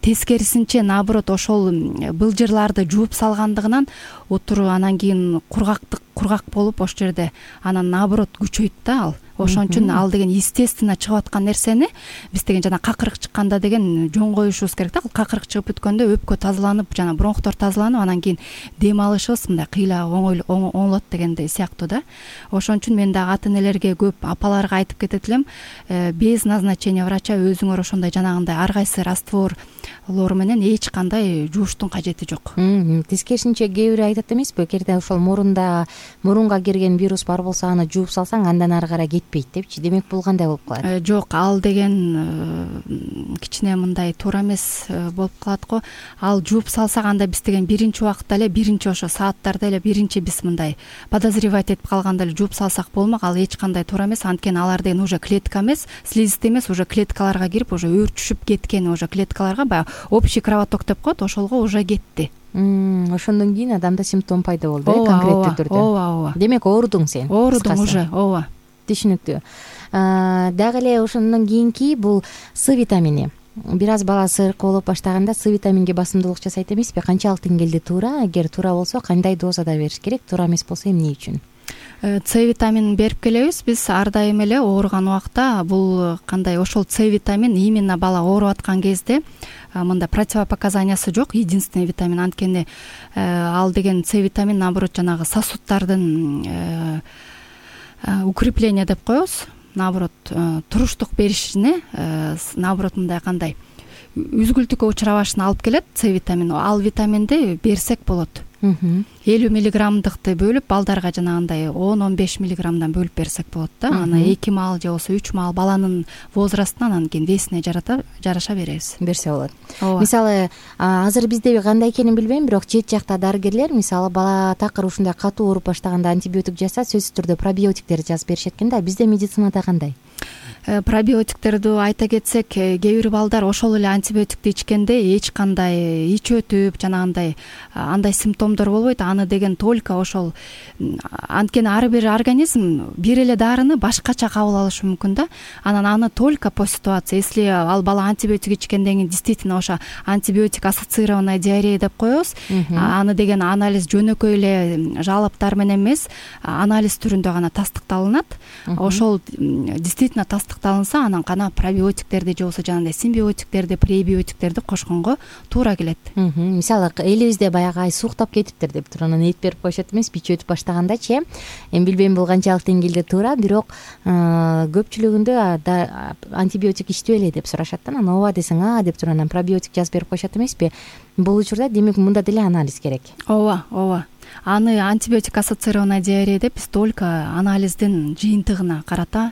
тескерисинче наоборот ошол былжырларды жууп салгандыгынан отуру анан кийин кургак болуп ошол жерде анан наоборот күчөйт да ал. Ошон үчүн ал деген естественно чыгып аткан нерсени биз деген жана какырык чыкканда деген жөн коюшубуз керек да. Какырык чыгып бүткөндө өпкө тазаланып, жана бронхтор тазаланып, анан кийин дем алышыбыз мындай кыйла оңолот дегендей сыяктуу да. Ошон үчүн мен дагы ата-энелерге көп апаларга айтып кетет элем, без назначения врача өзүңөр ошондой жанагындай ар кайсы растворлор менен эч кандай жууштун кажети жок. Тескерисинче кээ бир айтат эмеспи, эгерде ошол мурунга кирген вирус бар болсо аны жууп салсаң андан ары карай жетпейт депчи, демек бул кандай болуп калат? Жок, ал деген кичине мындай туура эмес болуп калат го. Ал жууп салсак, анда биз деген биринчи убакытта эле, биринчи ошо сааттарда эле биринчи биз мындай подозревать этип калганда эле жууп салсак болмок. Ал эч кандай туура эмес. Анткени алар деген уже клетка эмес, слизистый эмес, уже клеткаларга кирип, уже өөрчүшүп кеткен, уже клеткаларга баягы общий кровоток деп коет, ошолго уже кетти. Ошондон кийин адамда симптом пайда болду, конкреттүү түрдө. Ооба. Демек оорудуң сен. Оорудум уже, ооба. Түшүнүктүү. Дагы эле ошондон кийинки бул С витамини. Бир аз бала сыркы болуп баштаганда С витаминге басымдуулук жасайт эмеспи? Канчалык деңгээлде туура? Эгер туура болсо кандай дозада бериш керек? Туура эмес болсо эмне үчүн? С витаминин берип келебиз биз ар дайым эле ооруган убакта. Бул кандай, ошол С витамин именно бала ооруп аткан кезде мындай противопоказаниясы жок, единственный витамин. Анткени ал деген С витамин наоборот жанагы сосудтардын укрепление деп коебуз, наоборот туруштук беришине, наоборот мындай кандай үзгүлтүккө учурабашына алып келет С витамин. Ал витаминди берсек болот. 50 миллиграммдыкты бөлүп балдарга жанагындай 10-15 миллиграммдан бөлүп берсек болот да. Аны 2 маал же болбосо 3 маал баланын возрастына, анан кийин весине жараша беребиз. Берсе болот. Мисалы, азыр бизде кандай экенин билбейм, бирок чет жакта дарыгерлер мисалы бала такыр ушундай катуу ооруп баштаганда антибиотик жазса, сөзсүз түрдө пробиотиктерди жазып беришет экен да. Бизде медицинада кандай? Пробиотиктерди айта кетсек, кээ бир балдар ошол эле антибиотикти ичкенде эч кандай ич өтүп жанагындай андай симптомдор болбойт. Аны деген только ошол, анткени ар бир организм бир эле дарыны башкача кабыл алышы мүмкүн да. Анан аны только по ситуации. Если ал бала антибиотик ичкенден кийин действительно ошо антибиотик ассоциированная диарея деп коебуз. Аны деген анализ жөнөкөй эле жалоптар менен эмес, анализ түрүндө гана тастыкталынат. Ошол действительно тастыкталынса, анан гана пробиотиктерди же болбосо жанагындай симбиотиктерди, пребиотиктерди кошконго туура келет. Мисалы, элибизде баягы ай сууктап кетиптир деп туруп анан эт берип коюшат эмес, бич өтүп баштагандачы. Эми билбейм бул канчалык деңгээлде туура, бирок көпчүлүгүндө антибиотик ичтип эле деп сурашат да. Анан ооба десең деп туруп анан пробиотик жазып берип коюшат эмеспи? Бул учурда демек мында деле анализ керек. Ооба. Аны антибиотик ассоциированная диарея деп биз только анализдин жыйынтыгына карата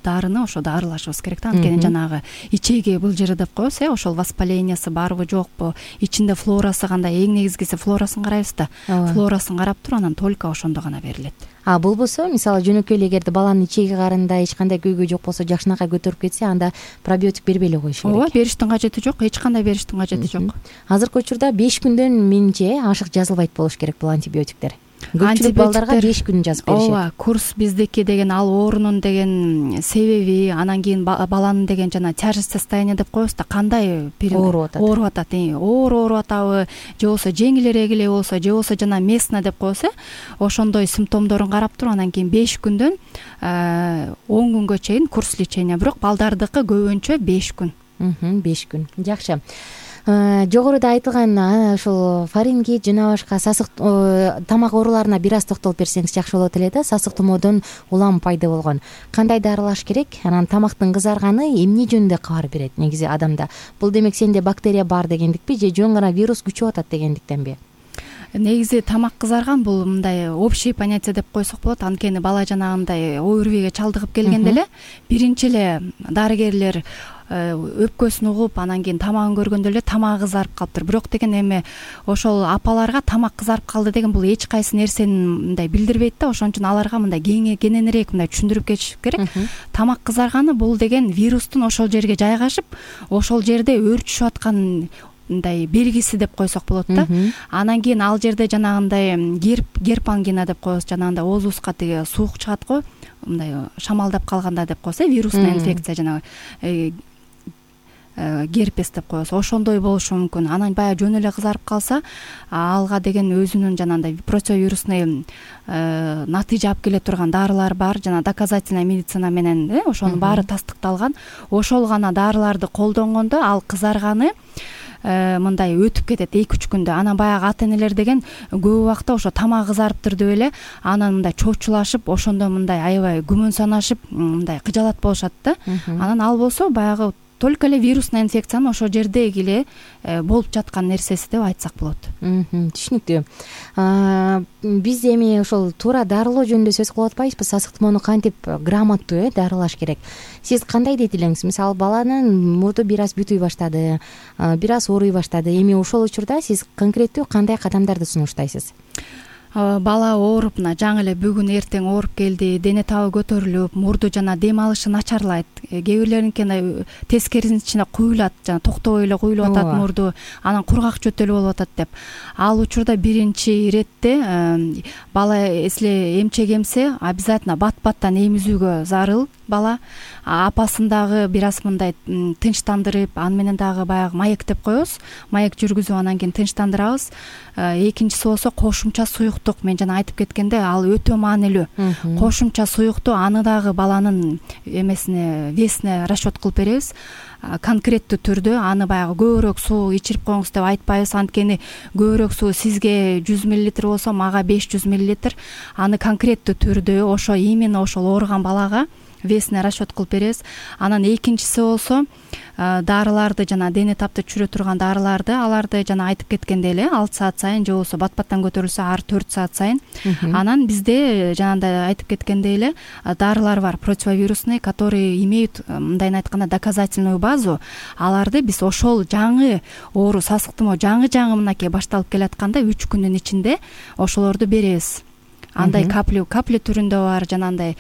дарыны ошо дарылашыбыз керек да. Анткени жанагы ичеги былжыры деп коебуз, ошол воспалениясы барбы жокпу, ичинде флорасы кандай, эң негизгиси флорасын карайбыз да. Флорасын карап туруп анан только ошондо гана берилет. Болбосо мисалы жөнөкөй эле эгерде баланын ичеги карында эч кандай көйгөй жок болсо, жакшынакай көтөрүп кетсе, анда пробиотик бербей эле коюш керек. Ооба, бериштин кажети жок, эч кандай бериштин кажети жок. Азыркы учурда 5 күндөн менимче ашык жазылбайт болуш керек бул антибиотиктер. Көпчүлүк балдарга 5 күн жазып беришет. Ооба, курс биздики деген ал оорунун деген себеби, анан кийин баланын деген жана тяжесть состояния деп коебуз да, кандай ооруп атат, ооруп атабы, же болбосо жеңилирээк эле болсо, же болбосо жана местно деп коебуз, ошондой симптомдорун карап туруп анан кийин 5 күндөн 10 күнгө чейин курс лечения, бирок балдардыкы көбүнчө 5 күн. 5 күн. Жакшы. Жогоруда айтылган ошол фарингит жана башка сасык тамак ооруларына бир аз токтолуп берсеңиз жакшы болот эле да. Сасык тумоодон улам пайда болгон кандай дарылаш керек? Анан тамактын кызарганы эмне жөнүндө кабар берет негизи адамда? Бул демек сенде бактерия бар дегендикпи же жөн гана вирус күчөп атат дегендиктенби? Негизи тамак кызарган бул мындай общий понятие деп койсок болот. Анткени бала жанагындай ОРВИге чалдыгып келгенде эле биринчи эле дарыгерлер өпкөсүн угуп, анан кийин тамагын көргөндө эле тамагы кызарып калыптыр. Бирок деген эми ошол апаларга тамак кызарып калды деген бул эч кайсы нерсени мындай билдирбейт да. Ошон үчүн аларга мындай кененирээк мындай түшүндүрүп кетиш керек. Тамак кызарганы бул деген вирустун ошол жерге жайгашып, ошол жерде өөрчүшүп аткан мындай белгиси деп койсок болот да. Анан кийин ал жерде жанагындай герп ангина деп коебуз, жанагындай оозубузга тиги суук чыгат го, мындай шамалдап калганда деп коебуз, вирусный инфекция, жанагы герпес деп коебуз. Ошондой болушу мүмкүн. Анан баягы жөн эле кызарып калса, алга деген өзүнүн жанагындай противовирусный натыйжа алып келе турган дарылар бар. Жана доказательная медицина менен ошонун баары тастыкталган. Ошол гана дарыларды колдонгондо ал кызарганы мындай өтүп кетет 2-3 күндө. Анан баягы ата энелер деген көп убакта ошо тамак кызарыптыр деп эле анан мындай чочулашып, ошондо мындай аябай күмөн санашып, мындай кыжалат болушат да. Анан ал болсо баягы только эле вирусный инфекциянын ошол жердеги эле болуп жаткан нерсеси деп айтсак болот. Түшүнүктүү. Биз эми ошол туура дарылоо жөнүндө сөз кылып атпайбызбы? Сасык тумоону кантип грамоттуу дарылаш керек? Сиз кандай дейт элеңиз? Мисалы баланын мурду бир аз бүтүй баштады, бир аз ооруй баштады. Эми ошол учурда сиз конкреттүү кандай кадамдарды сунуштайсыз? Бала ооруп, жаңы эле бүгүн эртең ооруп келди, дене табы көтөрүлүп, мурду жана дем алышы начарлайт. Кээ бирлериники тескерисинче куюлат, жана токтобой эле куюлуп атат мурду, анан кургак жөтөлү болуп атат деп. Ал учурда биринчи иретте бала эсле эмчек эмсе, обязательно бат-баттан эмизүүгө зарыл бала. Апасын дагы бир аз мындай тынчтандырып, аны менен дагы баягы маек деп коебуз. Маек жүргүзүп анан кийин тынчтандырабыз. Экинчиси болсо кошумча суюктук. Мен жана айтып кеткенде, ал өтө маанилүү. Кошумча суюкту аны дагы баланын эмесине, весине расчет кылып беребиз. Конкреттүү түрдө аны баягы көбүрөөк суу ичирип коюңуз деп айтпайбыз. Анткени көбүрөөк суу сизге 100 мл болсо, мага 500 мл. Аны конкреттүү түрдө ошо именно ошол ооруган балага весине расчет кылып беребиз. Анан экинчиси болсо дарыларды, жана дене тапты түшүрө турган дарыларды, аларды жана айтып кеткендей эле 6 саат сайын же болбосо бат-баттан көтөрүлсө ар 4 саат сайын. Анан бизде жанагындай айтып кеткендей эле дарылар бар, противовирусный, которые имеют, мындайын айтканда, доказательную базу. Аларды биз ошол жаңы оору, сасык тумоо жаңы мынакей башталып келатканда 3 күндүн ичинде ошолорду беребиз. Андай капля түрүндө бар, жанагындай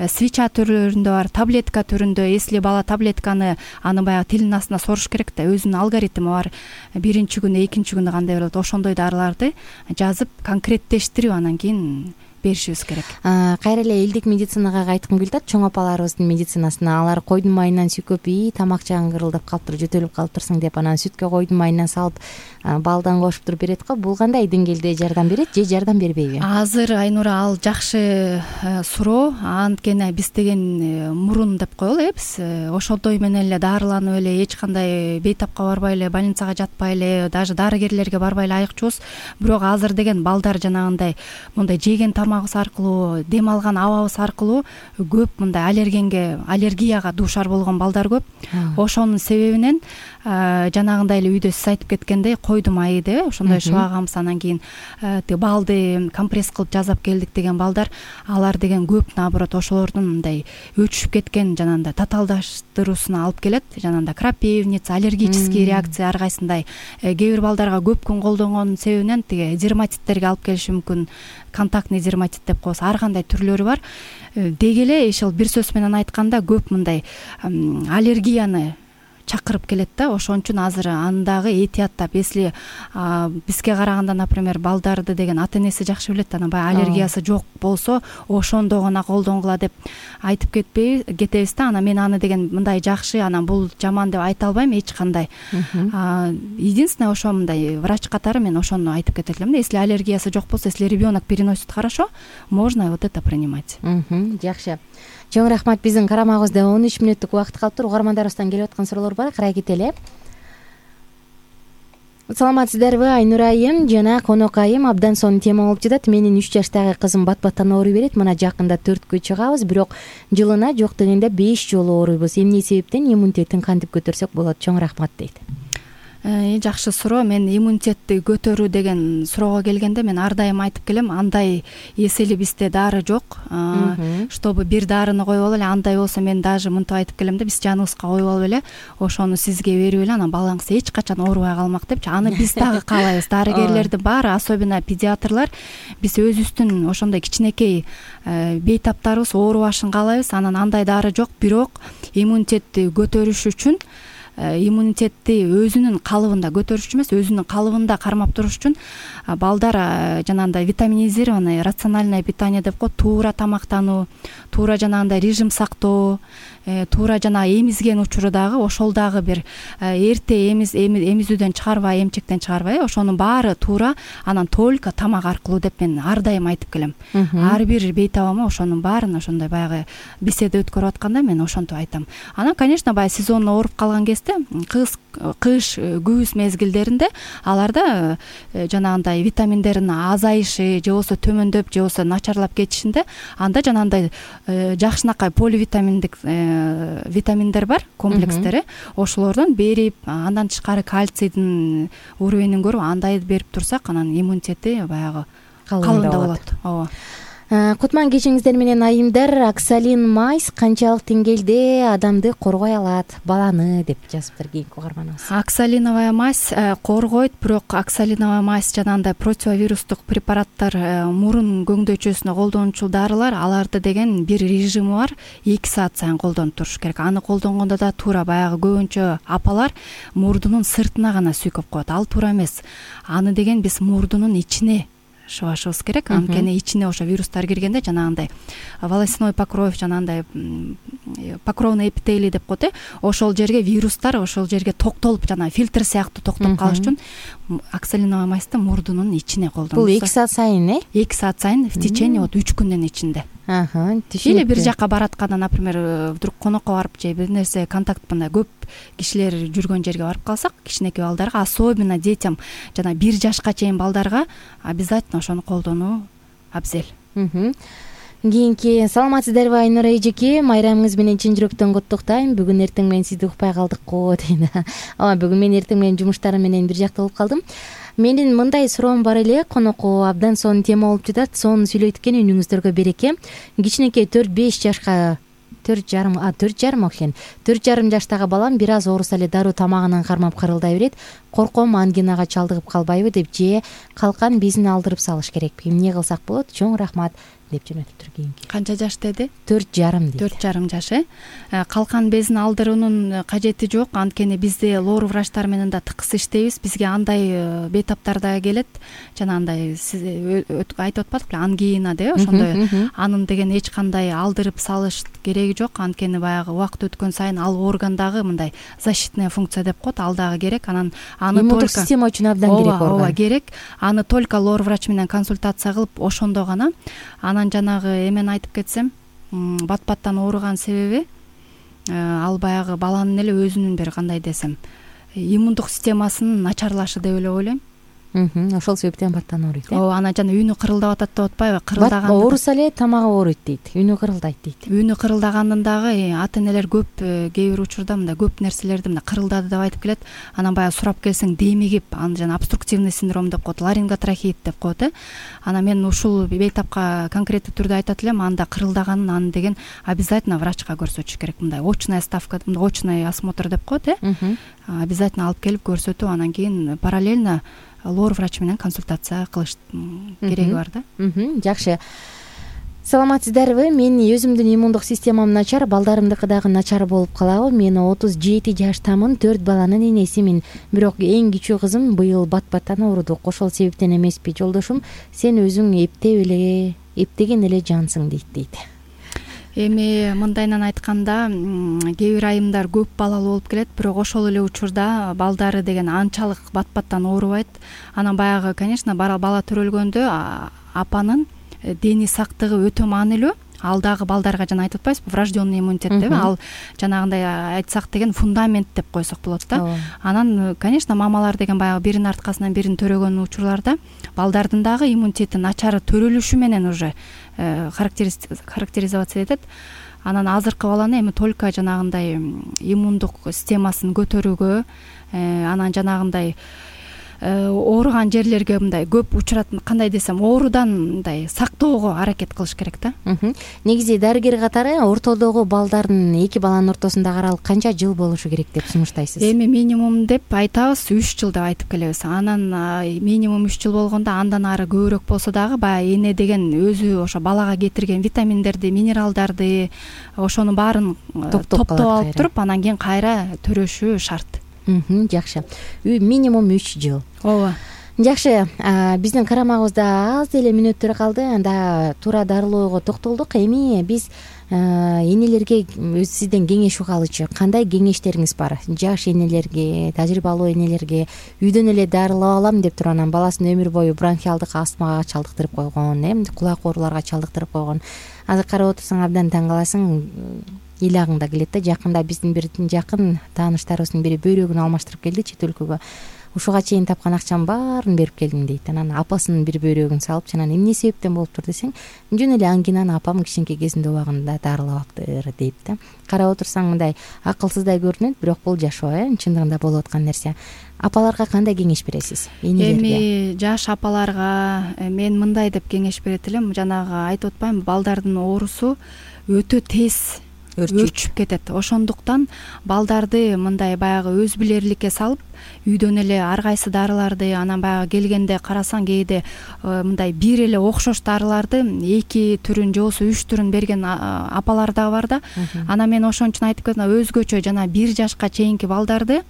свеча түрүндө бар, таблетка түрүндө. Если бала таблетканы аны баягы тилинин астына соруш керек да, өзүнүн алгоритми бар. Биринчи күнү, экинчи күнү кандай берилет, ошондой дарыларды жазып конкреттештирип анан кийин беришибиз керек. Кайра эле элдик медицинага кайткым келип атат, чоң апаларыбыздын медицинасына. Алар койдун майынан сүйкөп, тамак жагың кырылдап калыптыр, жөтөлүп калыптырсың деп анан сүткө койдун майынан салып балдан кошуп туруп берет го. Бул кандай деңгээлде жардам берет же жардам бербейби? Азыр Айнура, ал жакшы суроо. Анткени биз деген мурун деп коелу, биз ошондой менен эле дарыланып эле, эч кандай бейтапка барбай эле, больницага жатпай эле, даже дарыгерлерге барбай эле айыкчубуз. Бирок азыр деген балдар жанагындай мындай жеген тамагыбыз аркылуу, дем алган абабыз аркылуу көп мындай аллергияга дуушар болгон балдар көп. Ошонун себебинен жанагындай эле үйдө сиз айтып кеткендей койду майы ошондой шыбагабыз, анан кийин балды компресс кылып жасап келдик деген балдар, алар деген көп, наоборот, ошолордун мындай өчүшүп кеткен жанагындай татаалдаштыруусуна алып келет. Жанагындай крапивница, аллергический реакция ар кайсындай. Кээ бир балдарга көп күн колдонгонун себебинен тиги дерматиттерге алып келиши мүмкүн. Контактный дерматит деп коебуз, ар кандай түрлөрү бар. Деги эле ошол бир сөз менен айтканда көп мындай аллергияны чакырып келет да. Ошон үчүн азыр аны дагы этияттап, если бизге караганда, например, балдарды деген ата энеси жакшы билет, анан баягы аллергиясы жок болсо ошондо гана колдонгула деп айтып кетебиз да. Анан мен аны деген мындай жакшы, анан бул жаман деп айта албайм эч кандай. Единственное, ошо мындай врач катары мен ошону айтып кетет элем да. Если аллергиясы жок болсо, если ребенок переносит хорошо, можно вот это принимать. Жакшы. Чоң рахмат. Биздин карамагыбызда 13 мүнөттүк убакыт калыптыр. Угармандарыбыздан келип аткан суроолор бар, карай кетели. Саламатсыздарбы? Айнура айым жана конок айым абдан сонун тема болуп жатат. Менин 3 жаштагы кызым бат-баттан ооруй берет. Мына жакында 4кө чыгабыз, бирок жылына жок дегенде 5 жолу ооруйбуз. Эмне себептен иммунитеттин кантип көтөрсөк болот? Чоң рахмат дейт. Жакшы суроо. Мен иммунитетти көтөрүү деген суроого келгенде мен ар дайым айтып келем, андай эсели бизде дары жок. Чтобы бир дарыны коюп алып эле, андай болсо мен даже мынтип айтып келем да, биз жаныбызга коюп алып эле ошону сизге берип эле, анан балаңыз эч качан оорубай калмак депчи. Аны биз дагы каалайбыз. Дарыгерлердин баары, особенно педиатрлар, биз өзүбүздүн ошондой кичинекей бейтаптарыбыз оорубашын каалайбыз. Анан андай дары жок, бирок иммунитетти көтөрүш үчүн, иммунитетти өзүнүн калыбында көтөрүш үчүн эмес, өзүнүн калыбында кармап туруш үчүн балдар жанагындай витаминизированный рациональное питание деп коет, туура тамактануу, туура жанагындай режим сактоо, туура жана эмизген учуру дагы ошол дагы бир эрте эмизүүдөн чыгарбай, эмчектен чыгарбай, ошонун баары туура, анан только тамак аркылуу деп мен ар дайым айтып келем. Ар бир бейтабама ошонун баарын ошондой баягы беседа өткөрүп атканда мен ошентип айтам. Анан, конечно, баягы сезонно ооруп калган кезде да, кыш күз мезгилдеринде аларда жанагындай витаминдердин азайышы же болбосо төмөндөп же болбосо начарлап кетишинде анда жанагындай жакшынакай поливитаминдик витаминдер бар, комплекстери, ошолордон берип, андан тышкары кальцийдин уровенин көрүп андайды берип турсак, анан иммунитети баягы калыңдап болот. Ооба. Кутман кечиңиздер менен айымдар. Оксалин майс канчалык деңгээлде адамды коргой алат, баланы, деп жазыптыр кийинки угарманыбыз. Оксалиновая мазь коргойт, бирок оксалиновая мазь жанагындай противовирустук препараттар, мурун көңдөйчөсүнө колдонуучу дарылар, аларды деген бир режими бар, 2 саат сайын колдонуп туруш керек. Аны колдонгондо да туура баягы көбүнчө апалар мурдунун сыртына гана сүйкөп коет. Ал туура эмес. Аны деген биз мурдунун ичине шыбашыбыз керек. Анткени ичине ошо вирустар киргенде жанагындай волосяной покров, жанагындай покровный эпителий деп коет. Ошол жерге вирустар ошол жерге токтолуп, жана фильтр сыяктуу токтоп калыш үчүн оксалиновая мазьты мурдунун ичине колдонот. Бул 2 саат сайын, 2 саат сайын в течение 3 күндүн ичинде. Или бир жакка баратканда, например, вдруг конокко барып же бир нерсе контакт мындай көп кишилер жүргөн жерге барып калсак, кичинекей балдарга, особенно детям, жана 1 жашка чейин балдарга обязательно ошону колдонуу абзел. Кийинки саламатсыздарбы Айнура эжеке, майрамыңыз менен чын жүрөктөн куттуктайм. Бүгүн эртең менен сизди укпай калдык го дейт. Ооба, бүгүн мен эртең менен жумуштарым менен бир жакта болуп калдым. Менин мындай суроом бар эле, конокко абдан сонун тема болуп жатат. Сонун сүйлөйт экен, үнүңүздөргө береке. Кичинекей 4-5 жашка 4,5 жаштагы балам бир аз ооруса эле дароо тамагынан кармап кырылдай берет. Корком ангинага чалдыгып калбайбы деп, же калкан безин алдырып салыш керекпи? Эмне кылсак болот? Чоң рахмат деп жөнөтүптүр кийинки. Канча жаш деди? 4,5 дейт. 4,5 жаш. Калкан безин алдыруунун кажети жок. Анткени бизде лор врачтар менен да тыкыз иштейбиз. Бизге андай бейтаптар да келет. Жанагындай сиз айтып атпадыкпы, ангина деп, ошондой. Анын деген эч кандай алдырып салыш кереги жок. Анткени баягы убакыт өткөн сайын ал органдагы мындай защитная функция деп коет, ал дагы керек. Аны иммундук система үчүн абдан керек орган. Ооба, керек. Аны только лор врач менен консультация кылып, ошондо гана. Анан жанагы эмени айтып кетсем, бат-баттан ооруган себеби ал баягы баланын эле өзүнүн бир кандай десем, иммундук системасынын начарлашы деп эле ойлойм. Ошол себептен баттан ооруйт. Ооба, ана жана үнү кырылдап атат деп атпайбы? Кырылдаган ооруса эле тамагы ооруйт дейт, үнү кырылдайт дейт. Үнү кырылдаганын дагы ата-энелер көп кээ бир учурда мындай көп нерселерди мындай кырылдады деп айтып келет. Анан баягы сурап келсең демигип, аны жана обструктивный синдром деп коет, ларинготрахеит деп коет. Анан мен ушул бейтапка конкреттүү түрдө айтат элем, анда кырылдаганын, аны деген обязательно врачка көрсөтүш керек. Мындай очная ставка, очный осмотр деп коет. Обязательно алып келип көрсөтүп, анан кийин параллельно лор врач менен консультация кылыш кереги бар да. Жакшы. Саламатсыздарбы? Мен өзүмдүн иммундук системам начар, балдарымдыкы дагы начар болуп калабы? Мен 37 жаштамын, 4 баланын энесимин. Бирок эң кичүү кызым быйыл бат-баттан ооруду. Ошол себептен эмеспи? Жолдошум, сен өзүң эптеген эле жансың дейт. Эми мындайынан айтканда, кээ бир айымдар көп балалуу болуп келет, бирок ошол эле учурда балдары деген анчалык бат-баттан оорубайт. Анан баягы, конечно, бала төрөлгөндө апанын дени сактыгы өтө маанилүү. Ал дагы балдарга жана айтып атпайсызбы, врожденный иммунитет деп, ал жанагындай айтсак деген фундамент деп койсок болот да. Анан, конечно, мамалар деген баягы биринин арткасынан бирин төрөгөн учурларда балдардын дагы иммунитети начар төрөлүшү менен уже характеризоваться этет. Анан азыркы баланы эми только жанагындай иммундук системасын көтөрүүгө, анан жанагындай ооруган жерлерге мындай көп учурат, кандай десем, оорудан мындай сактоого аракет кылыш керек да. Негизи дарыгер катары ортодогу балдардын, эки баланын ортосундагы аралык канча жыл болушу керек деп сунуштайсыз? Эми минимум деп айтабыз, 3 жыл деп айтып келебиз. Анан минимум 3 жыл болгондо андан ары көбүрөөк болсо дагы баягы эне деген өзү ошо балага кетирген витаминдерди, минералдарды, ошонун баарын топтоп алып туруп, анан кийин кайра төрөшү шарт. Жакшы. Минимум 3 жыл. Ооба. Жакшы, биздин карамагыбызда аз деле мүнөттөр калды. Анда туура дарылоого токтолдук. Эми биз энелерге сизден кеңеш угалычы. Кандай кеңештериңиз бар? Жаш энелерге, тажрыйбалуу энелерге үйдөн эле дарылап алам деп туруп, анан баласын өмүр бою бронхиалдык астмага чалдыктырып койгон, кулак ооруларга чалдыктырып койгон. Азыр карап отурсаң абдан таң каласың. ыйлагың да келет да. Жакында биздин бир жакын тааныштарыбыздын бири бөйрөгүн алмаштырып келди чет өлкөгө. Ушуга чейин тапкан акчамдын баарын берип келдим дейт. Анан апасынын бир бөйрөгүн салып, анан эмне себептен болуптур десең, жөн эле ангинаны апам кичинекей кезинде убагында дарылабаптыр дейт да. Карап отурсаң мындай акылсыздай көрүнөт, бирок бул жашоо чындыгында болуп аткан нерсе. Апаларга кандай кеңеш бересиз? Эми жаш апаларга мен мындай деп кеңеш берет элем. Жанагы айтып атпаймынбы, балдардын оорусу өтө тез өрчүп кетет. Ошондуктан балдарды мындай баягы өз билерликке салып, үйдөн эле ар кайсы дарыларды, анан баягы келгенде карасаң кээде мындай бир эле окшош дарыларды 2 түрүн же болбосо 3 түрүн берген апалар да бар да. Анан мен ошон үчүн айтып кеттим, өзгөчө жана 1 жашка чейинки балдарды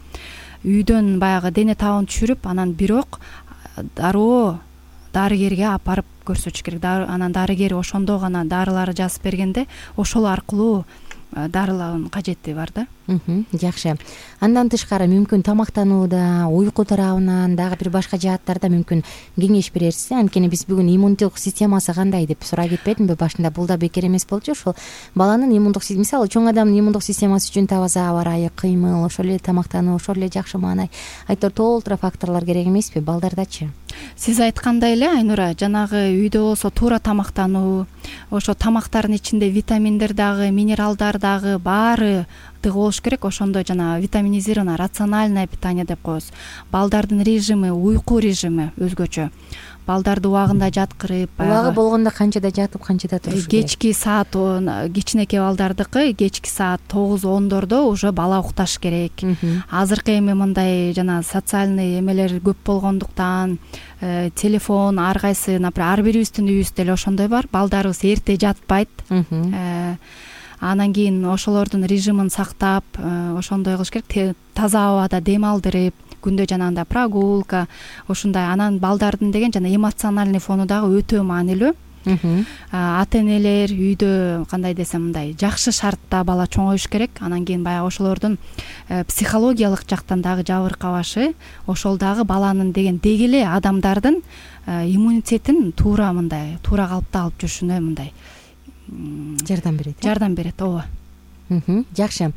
үйдөн баягы дене табын түшүрүп, анан бирок дароо дарыгерге апарып көрсөтүш керек. Анан дарыгер ошондо гана дарыларды жазып бергенде ошол аркылуу дарылаанын кажети бар да. Жакшы. Андан тышкары мүмкүн тамактанууда, уйку тарабынан дагы бир башка жааттарда мүмкүн кеңеш берерсиз. Анткени биз бүгүн иммундук системасы кандай деп сурай кетпедимби? Башында бул да бекер эмес болчу. Ошол баланын иммундук системасы, мисалы чоң адамдын иммундук системасы үчүн таза аба ырайы, кыймыл, ошол эле тамактануу, ошол эле жакшы маанай, айтор толтура факторлор керек эмеспи? Балдардачы? Сиз айткандай эле Айнура, жанагы үйдө болсо туура тамактануу, ошо тамактардын ичинде витаминдер дагы, минералдар дагы баары тыгы болуш керек. Ошондо жана витаминизированное рациональное питание деп коебуз. Балдардын режими, уйку режими өзгөчө. Балдарды убагында жаткырып, убагы болгондо канчада жатып, канчада туруш керек? Кечки саат, кичинекей балдардыкы кечки саат 9-10дордо уже бала укташ керек. Азыркы эми мындай жана социальный эмелер көп болгондуктан телефон ар кайсы, например, ар бирибиздин үйүбүздө эле ошондой бар. Балдарыбыз эрте жатпайт. Анан кийин ошолордун режимин сактап, ошондой кылыш керек. Таза абада дем алдырып, күндө жанагындай прогулка, ушундай. Анан балдардын деген жана эмоциональный фону дагы өтө маанилүү. Ата энелер үйдө кандай десем мындай жакшы шартта бала чоңоюш керек. Анан кийин баягы ошолордун психологиялык жактан дагы жабыркабашы, ошол дагы баланын деген деги эле адамдардын иммунитетин туура калыпта алып жүрүшүнө мындай жардам берет. Ооба. Жакшы.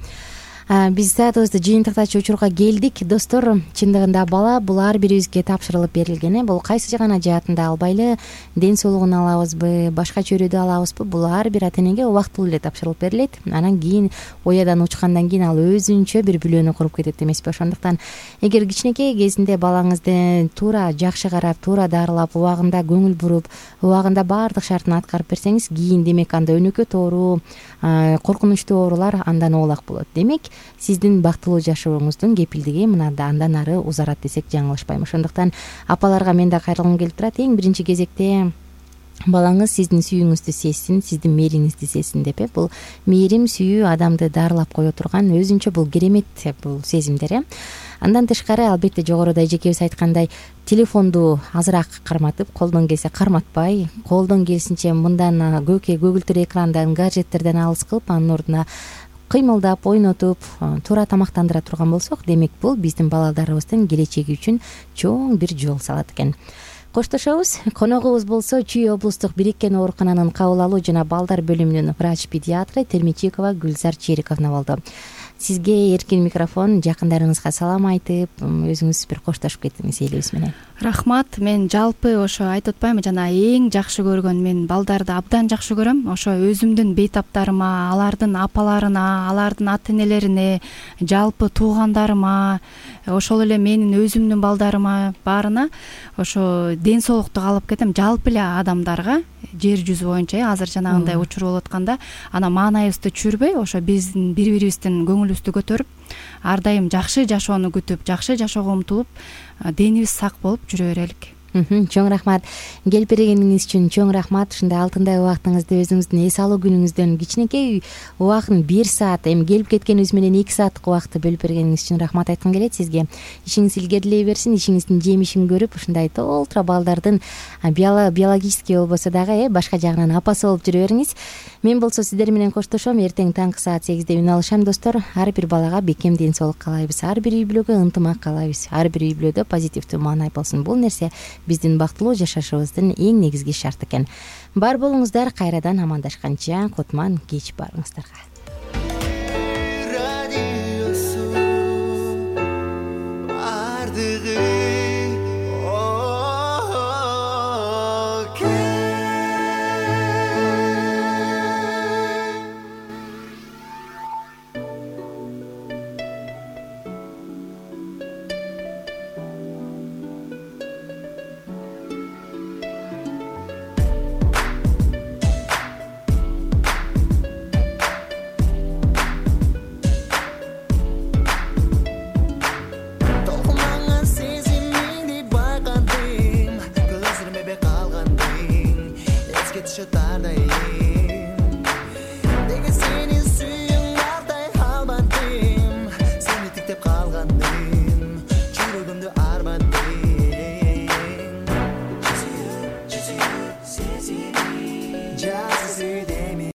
Биз саатыбызды жыйынтыктачу учурга келдик. Достор, чындыгында бала бул ар бирибизге тапшырылып берилген. Бул кайсы гана жаатында албайлы, ден соолугун алабызбы, башка чөйрөдө алабызбы, бул ар бир ата энеге убактылуу эле тапшырылып берилет. Анан кийин оядан учкандан кийин ал өзүнчө бир бүлөнү куруп кетет эмеспи? Ошондуктан эгер кичинекей кезинде балаңызды туура жакшы карап, туура дарылап, убагында көңүл буруп, убагында баардык шартын аткарып берсеңиз, кийин демек анда өнөкөт оору, коркунучтуу оорулар андан оолак болот. Демек сиздин бактылуу жашооңуздун кепилдиги андан ары узарат десек жаңылышпайм. Ошондуктан апаларга мен да кайрылгым келип турат. Эң биринчи кезекте балаңыз сиздин сүйүүңүздү сезсин, сиздин мээриңизди сезсин деп. Бул мээрим, сүйүү адамды дарылап кое турган өзүнчө бул керемет бул сезимдер. Андан тышкары албетте жогоруда эжекебиз айткандай телефонду азыраак карматып, колдон келсе карматпай, колдон келсинче мындан көгүлтүр экрандан, гаджеттерден алыс кылып, анын ордуна кыймылдап, ойнотуп, туура тамактандыра турган болсок, демек бул биздин балдарыбыздын келечеги үчүн чоң бир жол салат экен. Коштошобуз. Коногубуз болсо Чүй облустук бириккен оорукананын кабыл алуу жана балдар бөлүмүнүн врач-педиатры Термичикова Гүлзар Чериковна болду. Сизге эркин микрофон, жакындарыңызга салам айтып, өзүңүз бир коштошуп кеттиңиз элибиз менен. Рахмат. Мен жалпы ошо айтып атпаймынбы, жана эң жакшы көргөн, мен балдарды абдан жакшы көрөм. Ошо өзүмдүн бейтаптарыма, алардын апаларына, алардын ата энелерине, жалпы туугандарыма, ошол эле менин өзүмдүн балдарыма баарына ошо ден соолукту каалап кетем. Жалпы эле адамдарга жер жүзү боюнча азыр жанагындай учур болуп атканда, анан маанайыбызды түшүрбөй, ошо биздин бири-бирибиздин көңүлүбүздү көтөрүп, ар дайым жакшы жашоону күтүп, жакшы жашоого умтулуп, денибиз сак болуп жүрө берелик. Чоң рахмат. Келип бергениңиз үчүн чоң рахмат. Ушундай алтындай убактыңызды өзүңүздүн эс алуу күнүңүздөн кичинекей убагын 1 саат, эми келип кеткенибиз менен 2 сааттык убакытты бөлүп бергениңиз үчүн рахмат айткым келет сизге. Ишиңиз илгерилей берсин, ишиңиздин жемишин көрүп, ушундай толтура балдардын биологический болбосо дагы башка жагынан апасы болуп жүрө бериңиз. Мен болсо сиздер менен коштошом. Эртең таңкы саат 8-де үн алышам, достор. Ар бир балага бекем ден соолук каалайбыз. Ар бир үй бүлөгө ынтымак каалайбыз. Ар бир үй бүлөдө позитивдүү маанай болсун. Бул нерсе биздин бактылуу жашашыбыздын эң негизги шарты экен. Бар болуңуздар, кайрадан амандашканча кутман кеч барыңыздарга.